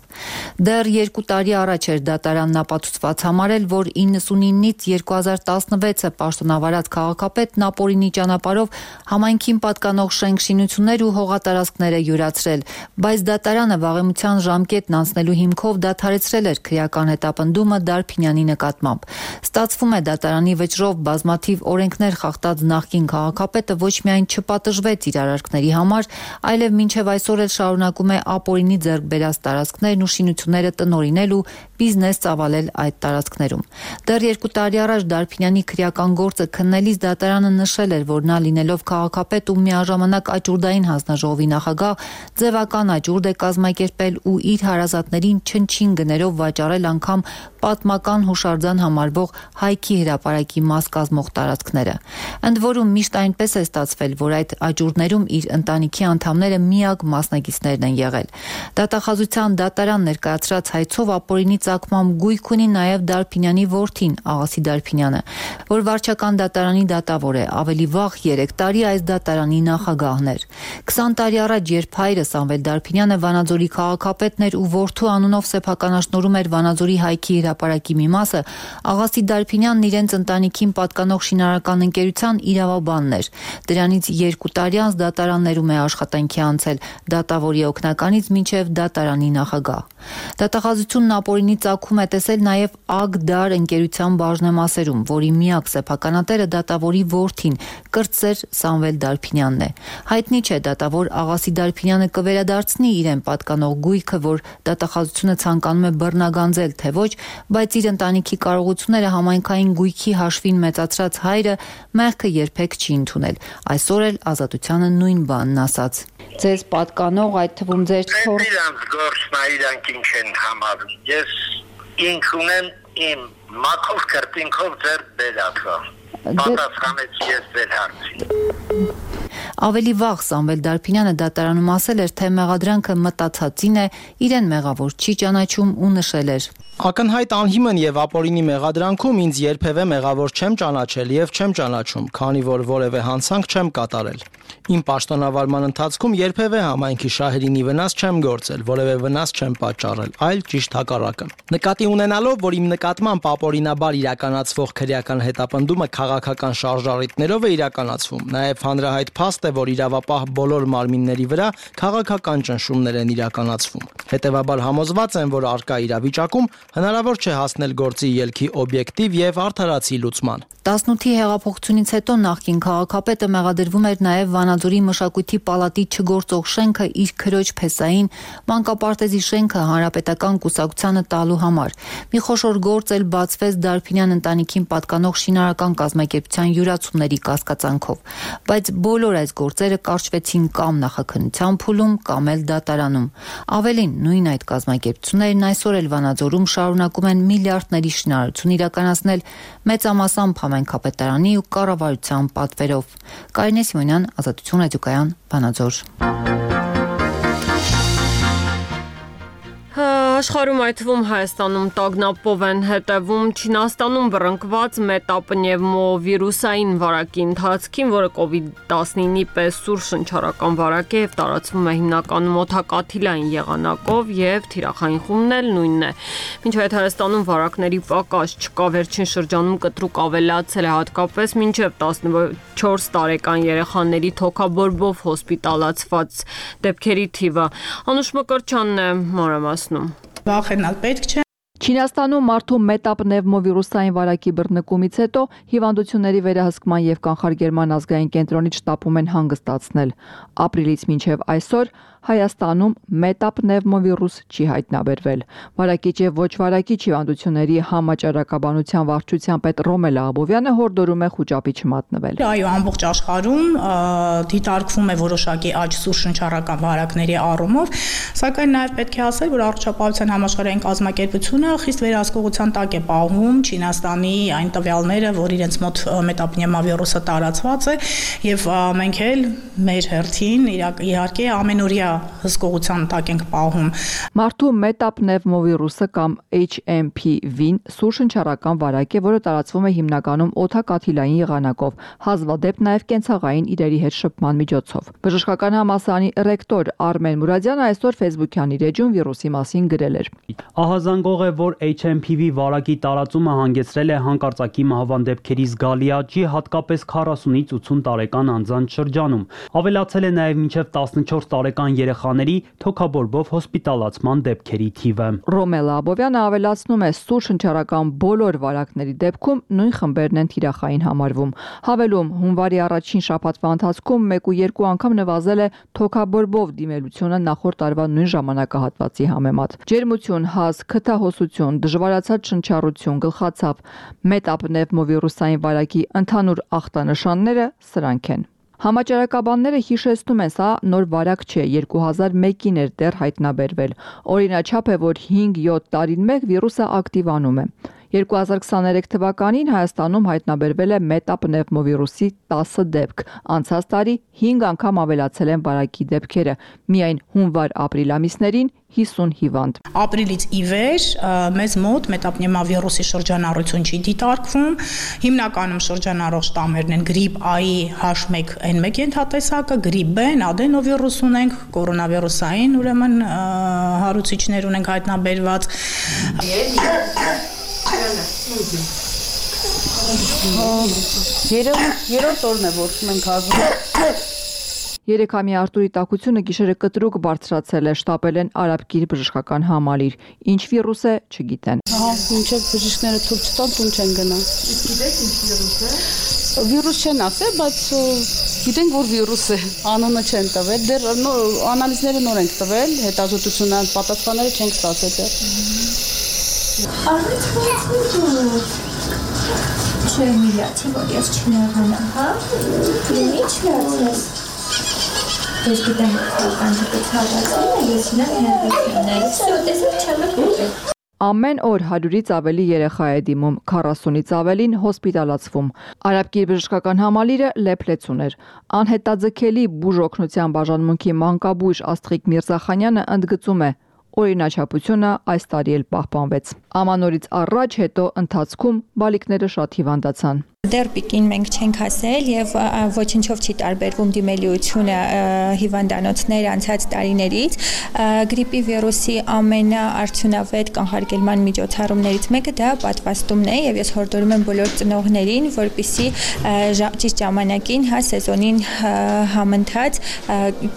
Դեռ երկու տարի առաջ էր դատարանն ապացուցված համարել, որ իննսունինից երկու հազար տասնվեցը պաշտոնավարած քաղաքապետն ապօրինի ճանապարհով համայնքին պատկանող շենք-շինություններ ու հողատարածքներ է յուրացրել, բայց դատարանը վաղեմության ժամկետն անցնելու հիմքով դադարեցրել էր քրեական հետապնդումը Դարփինյանի նկատմամբ։ Ստացվում է դատարանի վճռով բազմաթիվ օրենքներ խախտած նախկին քաղաքապետը ոչ միայն չպատժվեց իր արարքների համար, այլև մինչև այսօր էլ շարունակում է ապօրինի ձեռք բերած տարածքներն ու շինությունները տնօրինել ու բիզնես ծավալել այդ տարածքներում։ Դեռ երկու տարի առաջ Դարփինյանի քրեական գործը քննելիս դատարանը նշել էր, որ նա լինելով քաղաքապետ ու միաժամանակ աճուրդային հանձնաժողովի նախագահ, ձևական աճուրդ է կազմակերպել ու իր հարազատներին չնչին գներով վաճառել անգամ պատմական հուշարձան համարվող Հայքի հրապարակի մաս կազմող տարածքները։ Ընդ որում միշտ այնպես է ստացվել, որ այդ աճուրդներում իր ընտանիքի անդամները միակ մասնակիցներն են եղել։ Դատախազության դատարան ներկայացրած հայցով ապօրինի ծագմամբ գույք ունի նաև Դարփինյանի որդին Աղասի Դարփինյանը, որ վարչական դատարանի դատավոր է, ավելի վաղ երեք տարի այս դատարանի նախագահն էր։ քսան տարի առաջ, երբ հայրը Սամվել Դարփինյանը Վանաձորի քաղաքապետն էր ու որդու անունով սեփականաշնորհում էր Վանաձորի Հայքի հրապարակի մի մասը, Աղասի Դարփինյանն իրենց ընտանիքին պատկանող շինարարական ընկերության իրավաբանն էր։ Դրանից երկու տարի անց դատարաններում է աշխատանքի անցել, դատավորի օգնականից մինչև դատարանի նախագահ։ Դատախազությունն ապօրինի ծագում է տեսել նաև Ագդար ընկերության բաժնեմասերում, որի միակ սեփականատերը դատավորի որդին, կրտսեր Սամվել Դարփինյանն է։ Հայտնի չէ դատավոր Աղասի Դարփինյանը կվերադարձնի իրեն պատկանող գույքը, որ դատախազությունը ցանկանում է բռնագանձել, թե ոչ, բայց իր ընտանիքի կարողությունները համայնքային գույքի հաշվին մեծացրած հայրը մեղքը երբեք չի ընդունել։ Այսօր էլ Ազատությանը նույն բանն ասաց։ Ձեզ պատկանող, այդ թվում ձեր թոր իրանց գործն է, իրանք ինչ են համարում։ Ես ինք ունեմ իմ մաքով կրտինքով ձեր բերածը։ Պատասխանեց ես ձեր հարցին։ Ավելի վաղ Սամվել Դարփինյանը դատարանում ասել էր, թե մեղադրանքը մտածածին է, իրեն մեղավոր չի ճանաչում ու նշել էր. Ակնհայտ անհիմն եւ ապօրինի մեղադրանքում ինձ երբևէ մեղավոր չեմ ճանաչել եւ չեմ ճանաչում, քանի որ որևէ հանցանք չեմ կատարել։ Իմ պաշտոնավարման ընթացքում երբևէ համայնքի շահերին վնաս չեմ գործել, որևէ վնաս չեմ պատճառել, այլ ճիշտ հակառակը։ Նկատի ունենալով, որ իմ նկատմամբ ապօրինաբար իրականացվող քրեական հետապնդումը քաղաքական շարժառիթներով է իրականացվում, նաեւ հանրահայտ փաստ է, որ իրավապահ բոլոր մարմինների վրա քաղաքական ճնշումներ են իրականացվում։ Հետևաբար համոզված եմ, որ արկա իրավիճակում հնարավոր չէ հասնել գործի ելքի օբյեկտիվ եւ արդարացի լուծման։ տասնութի հեղափոխությունից հետո նախկին քաղաքապետը մեղադրվում էր նաև Վանաձորի մշակույթի պալատի չգործող շենքը իր քրոջ փեսային մանկապարտեզի շենքը հանրապետական կուսակցությանը տալու համար։ Մի խոշոր գործ էլ բացվեց Դարփինյան ընտանիքին պատկանող շինարարական կազմակերպության յուրացումների կասկածանքով, բայց բոլոր այս գործերը կարճվեցին կամ նախաքննության փուլում, կամ էլ դատարանում։ Ավելին, նույն այդ կազմակերպություններն այսօր էլ Վանաձորում շարունակում են միլիարդների շինարարություն իրականացնել մեծամասամբ համայնքապետարանի ու կառավարության պատվերով։ Կարինե Սիմոնյան, Ազատություն ռադիոկայան, Վանաձոր։ Աշխարհում այդ թվում Հայաստանում տագնապով են հետևում Չինաստանում բռնկված մետապնևմովիրուսային վարակի ընթացքին, որը կովիդ տասնինի պես սուր շնչառական վարակ է եւ տարածվում է հիմնականում օդակաթիլային եղանակով եւ թիրախային խումբն էլ նույնն է։ Մինչ այդ Հայաստանում վարակների պակաս չկա, վերջին շրջանում կտրուկ ավելացել է հատկապես մինչեւ տասնչորս տարեկան երեխաների թոքաբորբով հոսպիտալացված դեպքերի թիվը։ Անուշ Մկրտչյանն է մանրամասնում։ Վախենալ պետք չէ։ Չինաստանում մարդու մետապնևմովիրուսային վարակի բռնկումից հետո հիվանդությունների վերահսկման եւ կանխարգելման ազգային կենտրոնից շտապում են հանգստացնել։ Ապրիլից մինչեւ այսօր Հայաստանում մետապնևմովիրուս չի հայտնաբերվել։ Վարակիչ եւ ոչ վարակիչ հիվանդությունների համաճարակաբանության վարչության պետ Ռոմելա Աբովյանը հորդորում է խուճապի չմատնվել։ Այո, ամբողջ աշխարհում դիտարկվում է որոշակի աճ սուր շնչառական վարակների առումով, սակայն նաեւ պետք է ասել, որ առողջապահության համաշխարհային կազմակերպությունը խիստ վերահսկողության տակ է պահում Չինաստանի այն տվյալները, որ իրենց մոտ մետապնևմովիրուսը տարածված է, եւ մենք էլ մեր հերթին իհարկե ամենօրյա հսկողության տակ ենք պահում։ Մարդու մետապնևմովիրուսը կամ H M P V-ն սուր շնչառական վարակ է, որը տարածվում է հիմնականում օդակաթիլային եղանակով, հազվադեպ նաև կենցաղային իրերի հետ շփման միջոցով։ Բժշկական համալսարանի ռեկտոր Արմեն Մուրադյանը այսօր Facebook-յան իր էջում վիրուսի մասին գրել էր. Ահազանգող է, որ H M P V վարակի տարածումը հանգեցրել է հանկարծակի մահվան դեպքերի զգալի աճի, հատկապես քառասունից ութսուն տարեկան անձանց շրջանում։ Ավելացել է նաև մինչև տասնչորս տարեկան երեխաների թոքաբորբով հոսպիտալացման դեպքերի թիվը։ Ռոմելա Աբովյանը ավելացնում է, սուր շնչառական բոլոր վարակների դեպքում նույն խմբերն են թիրախային համարվում։ Հավելում, հունվարի առաջին շաբաթվա ընթացքում մեկ ու երկու անգամ նվազել է թոքաբորբով դիմելությունը նախորդ տարվա նույն ժամանակահատվածի համեմատ։ Ջերմություն, հազ, քթահոսություն, դժվարացած շնչառություն, գլխացավ, մետապնևմովիրուսային վարակի ընդհանուր ախտանշանները սրանք են։ Համաճարակաբանները հիշեցնում են, սա նոր վարակ չէ, երկու հազար մեկին էր դեռ հայտնաբերվել։ Օրինաչափ է, որ հինգ-յոթ տարին մեկ վիրուսը ակտիվանում է։ երկու հազար քսաներեք թվականին Հայաստանում հայտնաբերվել է մետապնևմովիրուսի տասը դեպք։ Անցած տարի հինգ անգամ ավելացել են վարակի դեպքերը։ Միայն հունվար-ապրիլ ամիսներին հիսուն հիվանդ։ Ապրիլից ի վեր մեզ մոտ մետապնևմովիրուսի շրջանառություն չի դիտարկվում։ Հիմնականում շրջանառող շտամերն են գրիպ A-ի H one N one ենթատեսակը, գրիպ B-ն, ադենովիրուս ունենք, կորոնավիրուսային, ուրեմն հարուցիչներ ունենք հայտնաբերված։ Երրորդ օրն է, որ մենք ազում։ Երեքամյա Արտուրի տաքությունը գիշերը կտրուկ բարձրացել է, շտապել են Արաբկիր բժշկական համալիր։ Ինչ վիրուս է, չգիտեն։ Ահա, մինչև բժիշկները թույլ չտան, տուն չեն գնա։ Իսկ գիտեք ինչ վիրուս է։ Վիրուս չեն ասել, բայց գիտենք, որ վիրուս է։ Անունը չեն տվել, դեռ անալիզները նոր ենք տվել, հետազոտությունը պատասխանները չենք ստացել դեռ։ Արից ո՞նց Չէ, միացի, որ ես չնեղանամ, հա։ Ինչ միացես։ Ես գիտեմ, որ կանջիկից հավացել է, ես ինա հեղիքն է, սո տեսեք չեմ է Ամեն օր հարյուրից ավելի երեխա է դիմում, քառասունից ավելին հոսպիտալացվում։ Արաբկիր բժշկական համալիրը լեփլեցուն էր։ Անհետաձգելի բուժօգնության բաժանմունքի մանկաբույժ Աստղիկ Միրզախանյանը ընդգծում է. օրինաչափությունը այս տարի էլ պահպանվեց։ Ամանորից առաջ հետո ընթացքում բալիկները շատ հիվանդացան։ Դեռ պիկին մենք չենք հասել եւ ոչնչով չի տարբերվում դիմելիությունը հիվանդանոցներ անցած տարիներից։ Գրիպի վիրուսի ամենաարդյունավետ կանխարգելման միջոցառումներից մեկը դա պատվաստումն է եւ ես հորդորում եմ բոլոր ծնողներին, որպեսզի ճիշտ ժամանակին, հա, սեզոնին համընթաց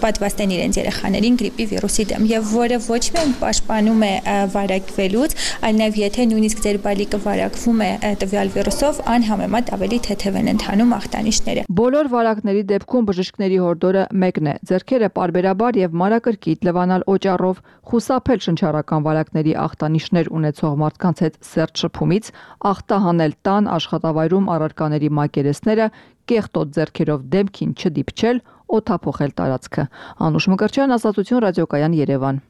պատվաստեն իրենց երեխաներին գրիպի վիրուսի դեմ եւ որը ոչ միայն պաշտպանում է վարակվելուց, այլ նաեւ եթե նույնիսկ ձեր բալիկը վարակվում է տվյալ վիրուսով, անհամեմատ ավելի թեթև են ընթանում ախտանիշները։ Բոլոր վարակների դեպքում բժիշկների հորդորը մեկն է՝ ձեռքերը պարբերաբար եւ մանրակրկիտ լվանալ օճառով, խուսափել շնչառական վարակների ախտանիշներ ունեցող մարդկանց հետ սերտ շփումից, ախտահանել տան աշխատավայրում առարկաների մակերեսները, կեղտոտ ձեռքերով դեմքին չդիպչել, օդափոխել տարածքը։ Անուշ Մկրտչյան, Ազատություն, ռադիոկայան, Երևան։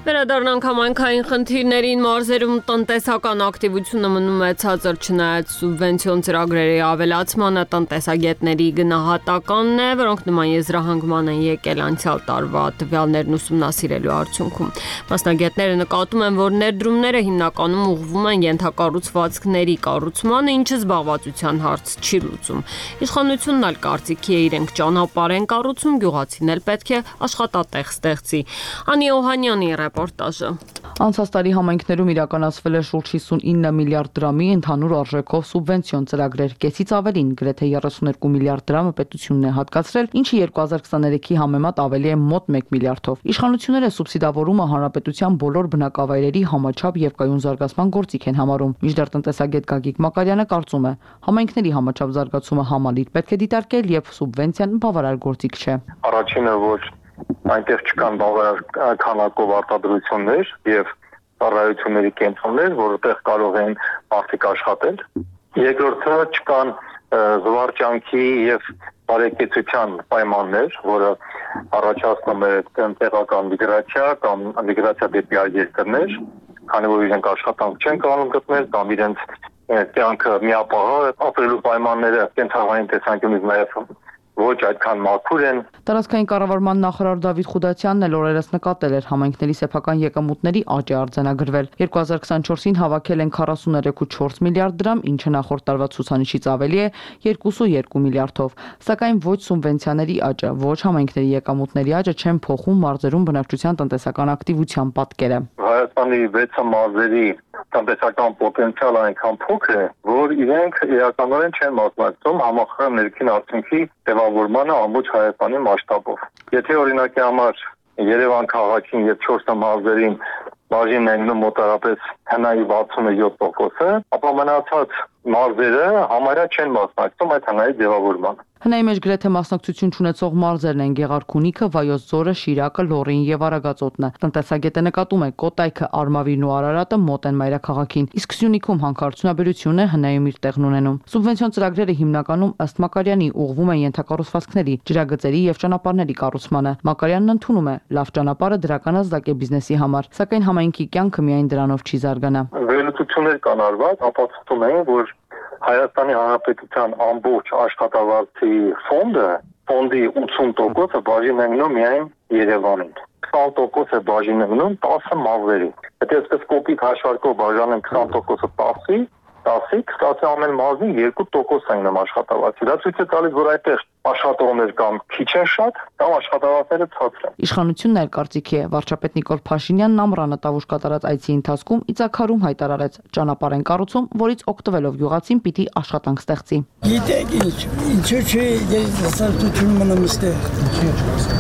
Վերադառնանք համայնքային խնդիրներին, մարզերում տնտեսական ակտիվությունը մնում է ցածր չնայած սուբվենցիոն ծրագրերի ավելացմանը, տնտեսագետների գնահատականն է, որոնք նման եզրահանգման են եկել անցյալ տարվա տվյալներն ուսումնասիրելու արդյունքում։ Մասնագետները նկատում են, որ ներդրումները հիմնականում ուղղվում են ենթակառուցվածքների կառուցմանը, ինչը զբաղվածության հարց չի լուծում։ Իշխանությունն էլ կարծիքի է իրենք ճանապարհ են կառուցում, գյուղացին էլ պետք է աշխատատեղ ստեղծի։ Անի Օհանյանի ռեպորտաժը։ Անցած տարի համայնքներում իրականացվել է շուրջ հիսունինը միլիարդ դրամի ընդհանուր արժեքով սուբվենցիոն ծրագրեր, կեսից ավելին, գրեթե երեսուներկու միլիարդ դրամը պետությունն է հատկացրել, ինչը երկու հազար քսաներեքի համեմատ ավելի է մոտ մեկ միլիարդով։ Իշխանությունները սուբսիդավորումը հանրապետության բոլոր բնակավայրերի համաչափ եւ կայուն զարգացման գործիք են համարում։ Մինչդեռ տնտեսագետ Գագիկ Մակարյանը կարծում է, համայնքների համաչափ զարգացումը համալիր պետք է դիտարկել եւ սուբվենցիան բավարար գործիք չէ։ Առաջինը, որ այնտեղ չկան բավարար քանակով արտադրություններ եւ ծառայությունների կենտրոններ, որտեղ կարող են մարդիկ աշխատել։ Երկրորդը, չկան զվարճանքի եւ բարեկեցության պայմաններ, որը առաջացնում է տեղական միգրացիա կամ միգրացիա դեպի այլ երկրներ, քանի որ իրենք աշխատանք չեն կարող գտնել կամ իրենց կյանքը միապաղ ապրելու պայմանները կենցաղային տեսանկյունից նաեւ ոչ այդքան մաքուր են։ Տարածքային կառավարման նախարար Դավիթ Խուդացյանն էլ օրերս նկատել էր համայնքների սեփական եկամուտների աճ է արձանագրվել։ երկու հազար քսաներկուին հավաքել են քառասուներեք կόμμα չորս միլիարդ դրամ, ինչը նախորդ տարվա ցուցանիշից ավելի է երկուսուներկու միլիարդով։ Սակայն ոչ սուբվենցիաների աճը, ոչ համայնքների եկամուտների աճը չեն փոխում մարզերում բնակչության տնտեսական ակտիվության պատկերը։ Հայաստանի վեց մարզերի տնտեսական պոտենցիալը այնքան փոքր է, որ իրենք իրականորեն չեն մասնակցում համախառն ներքին արդյունքի ձևավորմանը ամբողջ Հայաստանի մասշտաբով։ Եթե օրինակի համար Երևան քաղաքին եւ չորս մարզերին բաժին են մոտարապես հնայի վաթսունյոթ տոկոսը, ապա մնացած մարզերը համարյա չեն մասնակցում այդ հնայի ձևավորմանը։ Հնայի մեջ գրեթե մասնակցություն չունեցող մարզերն են Գեղարքունիքը, Վայոց ձորը, Շիրակը, Լոռին եւ Արագածոտնը։ Տնտեսագետը նկատում է, Կոտայքը, Արմավիրն ու Արարատը մոտ են մայրաքաղաքին, իսկ Սյունիքում հանքարդյունաբերությունը հնայում իր տեղն ունենում։ Սուբվենցիոն ծրագրերը հիմնականում ըստ Մակարյանի ուղղվում են ենթակառուցվածքների, ջրագծերի եւ ճանապարհների կառուցմանը։ Մակարյանն ընդունում է, լավ ճանապարհը դրական ազդակ է բիզնեսի համար, սակայն համայնքի կյանքը միայն դրանով չի զարգանա։ Վերլուծություններ կան արված, ապացուցում են, որ Հայաստանի Հանրապետության ամբողջ աշխատավարձի ֆոնդը, ֆոնդի ութսուն տոկոսը բաժին է մնում միայն Երևանին։ քսան տոկոս է բաժին է մնում տասը մարզերի։ Եթե այսպես կոպիտ հաշվարկով բաժանենք քսան տոկոսը տասի, տասի, տասի ամեն մարզին երկու տոկոս են մնում աշխատավարձի։ Դա ցույց է տալիս, որ այդտեղ աշխատողներ կամ քիչ են շատ, կամ աշխատավարձերը ցածր են։ Իշխանությունն էլ կարծիքի է, վարչապետ Նիկոլ Փաշինյանն ամռանը տավուշ կատարած այցի ընթացքում Իցակարում հայտարարեց, ճանապարհ են կառուցում, որից օգտվելով գյուղացին պիտի աշխատանք ստեղծի։ Գիտեք ինչ, ինչու՞ չի երիտասարդություն մնում ստեղ։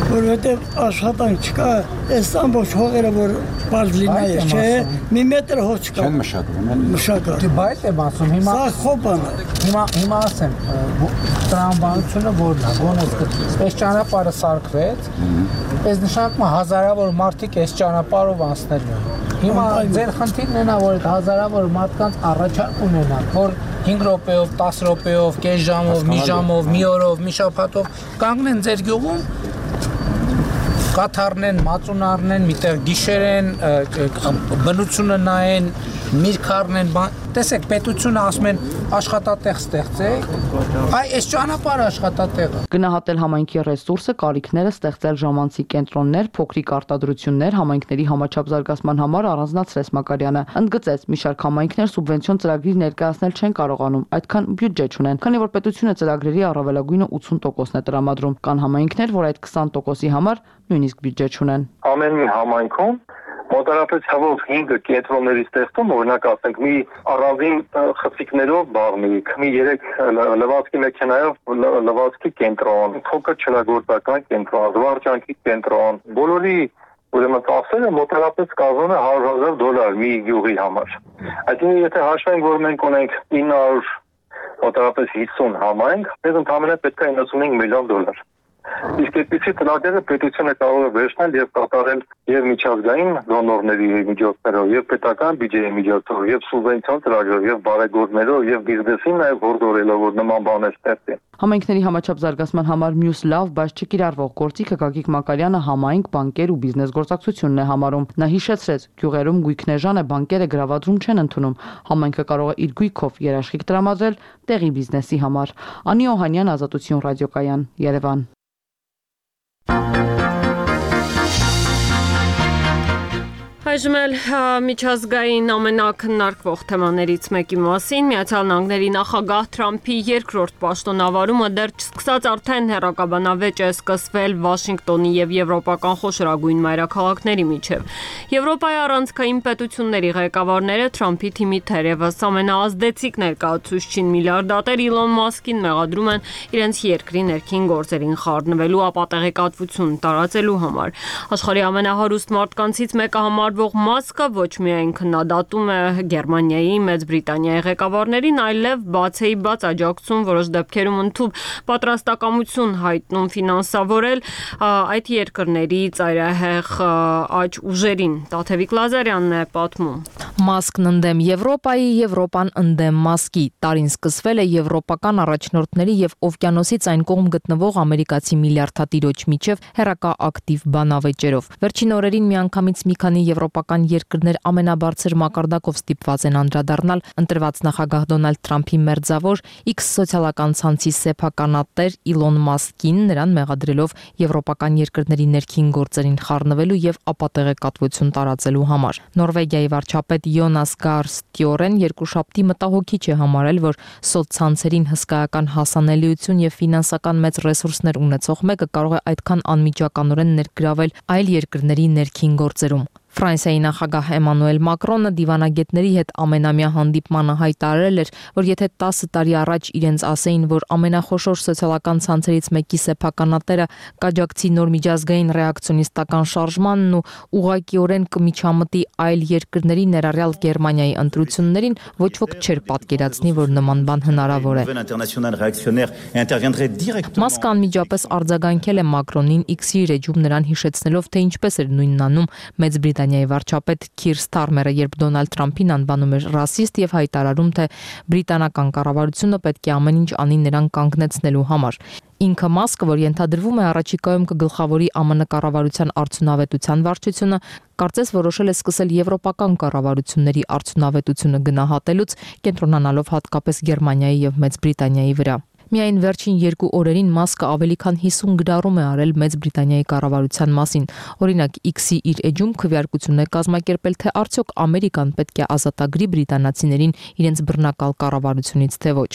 Որովհետև աշխատանք չկա, այս ամբողջ հողերը որ բաց լինայ, չէ, մի մետր հող չկա։ Չեն մշակվում, են մշակա։ Դե բայց եմ ասում, հիմա սա խոպան է։ Հիմա հիմա ասեմ, տրամաբանությունը որն է, ոնց այս ճանապարհը սարքվեց, այս նշանակում է հազարավոր մարդիկ այս ճանապարհով անցնելու են։ Հիմա ձեր խնդիրն է նա, որ այդ հազարավոր մարդկանց առաջարկ ունենան, որ հինգ րոպեով, տասը րոպեով, կես ժամով, մի ժամով, մի օրով, մի շաբաթով կանգնեն ձեր գյուղում, կաթարն են, մածունարն են, միտեղ գիշեր են, բնությունը նայեն, միրգարն են, տեսեք, պետությունը ասում են աշխատատեղ ստեղծեք, այ այս ճանապարհը աշխատատեղը։ Գնահատել համայնքի ռեսուրսը, կարիքները, ստեղծել ժամանցի կենտրոններ, փոքրիկ արտադրություններ, համայնքների համաչափ զարգացման համար առանձնացրեց Մակարյանը։ Ընդգծեց, մի շարք համայնքներ սուբվենցիոն ծրագրեր ներկայացնել չեն կարողանում, այդքան բյուջե չունեն, քանի որ պետությունը ծրագրերի առավելագույնը ութուն տոկոսն է տրամադրում, կան համայնքներ, որ այդ քսան տոկոսի համար նույնիսկ բյուջե չունեն։ Ամեն մի համայնքում մոտարապես հավոք հինգ կենտրոնների ստեղծում, օրինակ ասենք մի առանձին խցիկներով բաղնիկ, մի երեք լվացքի մեքենայով լվացքի կենտրոն, փոքր չլագործական կենտրոն, զվարճանքի կենտրոն, բոլորի ուրեմն ծախսերը մոտարապես կազմում է հարյուր հազար դոլար մի գյուղի համար։ Այսինքն եթե հաշվենք, որ մենք ունենք ինը հարյուր մոտարապես հիսուն համայնք, մեզ ընդհանրապես պետք է իննսունհինգ միլիոն դոլար։ Իսկ այդպիսի ծրագրերը պետությունը կարող է վերցնել եւ կատարել եւ միջազգային դոնորների միջոցներով, եւ պետական բյուջեի միջոցով, եւ սուբվենցիոն ծրագրերով, եւ բարեգործներով, եւ բիզնեսին նաեւ հորդորելով, որ նման բաներ ստեղծեն։ Համայնքների համաչափ զարգացման համար մյուս լավ, բայց չկիրառվող գործիքը Գագիկ Մակարյանը համայնք, բանկեր ու բիզնես գործակցությունն է համարում։ Նա հիշեցրեց, գյուղերում գույքնեժան է, բանկերը գրավադրում չեն ընդունում։ Համայնքը կարող է իր գույքով երաշխիք տրամադրել տեղի բիզնեսի համար։ Անի Օհանյան, Ազատություն ռադիոկայան, Երևան։ Այժմ էլ միջազգային ամենակննարկվող թեմաներից մեկի մասին Միացյալ Նահանգների նախագահ Թրամփի երկրորդ պաշտոնավարումը դեռ չսկսած արդեն հեռակաբանավեճ է սկսվել Վաշինգտոնի եւ եվրոպական խոշորագույն մայրաքաղաքների միջև։ Եվրոպայի առանցքային պետությունների ղեկավարները Թրամփի թիմի թերևս ամենաազդեցիկ ներկայացուցչին միլիարդատեր Իլոն Մասկին մեղադրում են իրենց երկրի ներքին գործերին խառնվելու ապատեղեկատվություն տարածելու համար։ Աշխարհի ամենահարուստ մարդկանցից մեկը համար Մասկը ոչ միայն քննադատում է Գերմանիայի, Մեծ Բրիտանիայի ղեկավարներին, այլև բացեի բաց աջակցում որոշ դեպքերում ընդհանուր պատրաստակամություն հայտնում ֆինանսավորել այդ երկրների ծայրահեղ աճ ուժերին։ Տաթևիկ Լազարյանն է պատմում։ Մասկն ընդդեմ Եվրոպայի, Եվրոպան ընդդեմ Մասկի։ Տարին սկսվել է եվրոպական առաջնորդների եւ օվկիանոսից այն կողմ գտնվող ամերիկացի միլիարդատիրոջ միջև հերակա ակտիվ բանավեճերով։ Վերջին օրերին միանգամից մի քանի եվրոպական երկրներ ամենաբարձր մակարդակով ստիպված են անդրադառնալ ընտրված նախագահ Դոնալդ Թրամփի մերձավոր X սոցիալական ցանցի սեփականատեր Իլոն Մասկին, նրան մեղադրելով եվրոպական երկրների ներքին գործերին խառնվելու եւ ապատեղեկատվություն տարածելու համար։ Նորվեգիայի վարչապետ Յոնաս Գար Ստյորեն երկուշաբթի մտահոգիչ է համարել, որ սոցցանցերին հսկայական հասանելիություն եւ ֆինանսական մեծ ռեսուրսներ ունեցող մեկը կարող է այդքան անմիջականորեն ներգրավել այլ երկրների ներքին գործերում։ Ֆրանսիայի նախագահ Էմանուել Մակրոնը դիվանագետների հետ ամենամյա հանդիպմանը հայտարարել էր, որ եթե տասը տարի առաջ իրենց ասեին, որ ամենախոշոր սոցիալական ցանցերից մեկի սեփականատերը կաջակցի նոր միջազգային ռեակցիոնիստական շարժմանն ու ուղղակիորեն կմիջամտի այլ երկրների, ներառյալ Գերմանիայի ընտրություններին, ոչ ոք չէր պատկերացնի, որ նման բան հնարավոր է։ Մասկը անմիջապես արձագանքել է Մակրոնին X-ի ռեջում նրան հիշեցնելով, թե ինչպես էր նույնն անում Մեծ Բրիտանիայի վարչապետ Քիր Ստարմերը, երբ Դոնալդ Թրամփին անվանում էր ռասիստ եւ հայտարարում, թե բրիտանական կառավարությունը պետք է ամեն ինչ անի նրան կանգնեցնելու համար։ Ինքը Մասկը, որ ենթադրվում է առաջիկայում կգլխավորի ԱՄՆ կառավարության արդյունավետության վարչությունը, կարծես որոշել է սկսել եվրոպական կառավարությունների արդյունավետությունը գնահատելուց, կենտրոնանալով հատկապես Գերմանիայի եւ Մեծ Բրիտանիայի վրա։ Միայն վերջին երկու օրերին Մասկը ավելի քան հիսուն գրառում է արել Մեծ Բրիտանիայի կառավարության մասին։ Օրինակ X-ի իր էջում քվեարկություն է կազմակերպել, թե արդյոք Ամերիկան պետք է ազատագրի բրիտանացիներին իրենց բռնակալ կառավարությունից, թե ոչ։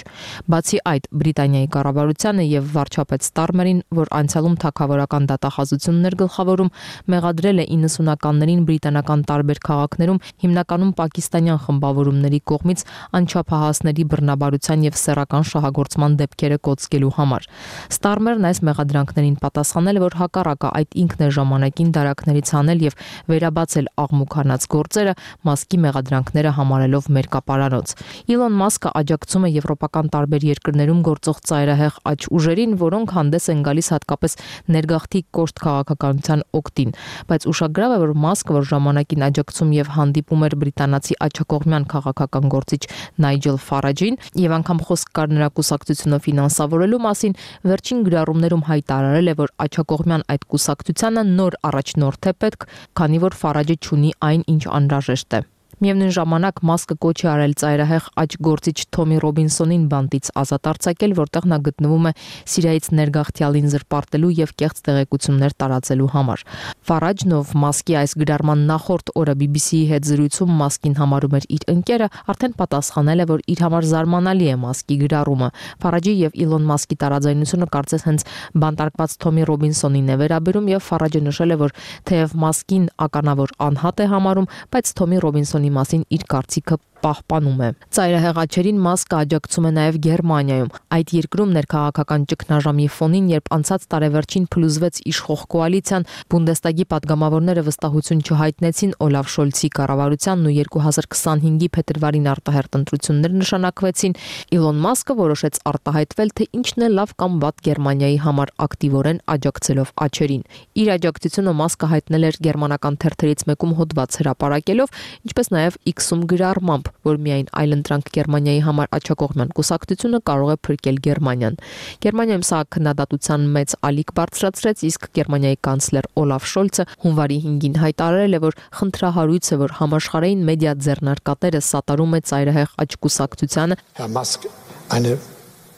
Բացի այդ, Բրիտանիայի կառավարությանը եւ վարչապետ Ստարմերին, որ անցյալում թագավորական դատախազություններ գլխավորում, մեղադրել է իննսունականներին բրիտանական տարբեր քաղաքներում, հիմնականում պակիստանյան խմբավորումների կողմից անչափահասների բռնաբարության եւ սեռական շահագործման դեպքեր կոծկելու համար։ Ստարմերն այս մեղադրանքներին պատասխանել, որ հակառակը այդ ինքն է ժամանակին դարակներից անել եւ վերաբացել աղմուկանած գործերը, Մասկի մեղադրանքները համարելով մերկապարանոց։ Իլոն Մասկը աջակցում է եվրոպական տարբեր երկրներում գործող ծայրահեղ աճ ուժերին, որոնք հանդես են գալիս հատկապես ներգաղթի կոշտ քաղաքականության օգտին, բայց ուշագրավ է, որ Մասկը, որ ժամանակին աջակցում եւ հանդիպում էր բրիտանացի աջակողմյան քաղաքական գործիչ Նայջել Ֆարաջին եւ անգամ խոսք կար նրա կուսակցությունով ֆինանսավորելու մասին վերջին գրառումներում հայտարարել է, որ աջակողմյան այդ կուսակցությանը նոր առաջնորդ է պետք, քանի որ Ֆարաջը չունի այն, ինչ անհրաժեշտ է։ Միևնույն ժամանակ Մասկը կոչ է արել ծայրահեղ աճգործիչ Թոմի Ռոբինսոնին բանտից ազատ արձակել, որտեղ նա գտնվում է Սիրիայից ներգաղթյալին զրպարտելու եւ կեղծ տեղեկություններ տարածելու համար։ Ֆարաջն, ով Մասկի այս գրառման նախորդ օրը բի բի սի-ի հետ զրույցում Մասկին համարում էր իր ընկերը, արդեն պատասխանել է, որ իր համար զարմանալի է Մասկի գրառումը։ Ֆարաջի եւ Իլոն Մասկի տարաձայնությունը կարծես հենց բանտարկված Թոմի Ռոբինսոնին է վերաբերում եւ Ֆարաջը նշել է, որ թեև Մասկին ականավոր անհատ է համարում, բայց Թոմի Ռոբինսոնի մասին իր կարծիքը պահպանում է։ Ծայրահեղ աչերին Մասկը աջակցում է նաև Գերմանիայում։ Այդ երկրում ներքաղաքական ճգնաժամի ֆոնին, երբ անցած տարեվերջին փլուզվեց իշխող կոալիցիան, Բունդեստագի падգամավորները վստահություն չհայտնեցին Օլաֆ Շոլցի կառավարությանն ու երկու հազար քսանհինգի փետրվարին արտահերտ ընտրություններ նշանակվեցին, Իլոն Մասկը որոշեց արտահայտվել, թե ինչն է լավ կամ վատ Գերմանիայի համար ակտիվորեն աջակցելով աչերին։ Իր աջակցությունը Մասկը հայտնել էր գերմանական թերթերից մեկում հոդված հրապարակելով, ինչպես նաև X-ում գրառմամբ, որ միայն այլընտրանք Գերմանիայի համար աջակողմյան կուսակցությունը կարող է փրկել Գերմանիան։ Գերմանիայում սա քննադատության մեծ ալիք բարձրացրեց, իսկ Գերմանիայի կանցլեր Օլաֆ Շոլցը հունվարի հինգին հայտարարել է, որ խնդրահարույց է, որ համաշխարհային մեդիա ձեռնարկատերը սատարում է ծայրահեղ աճ կուսակցությանը,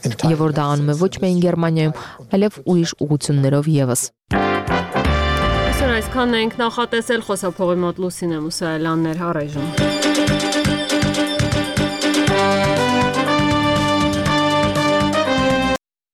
եւ որ դա անում է ոչ միայն Գերմանիայում, այլև ուրիշ ուղղություններով եւս։ Այսօր այսքանն ենք նախատեսել, խոսափողի մոտ Լուսինե Մուսայելյանն էր, առայժմ։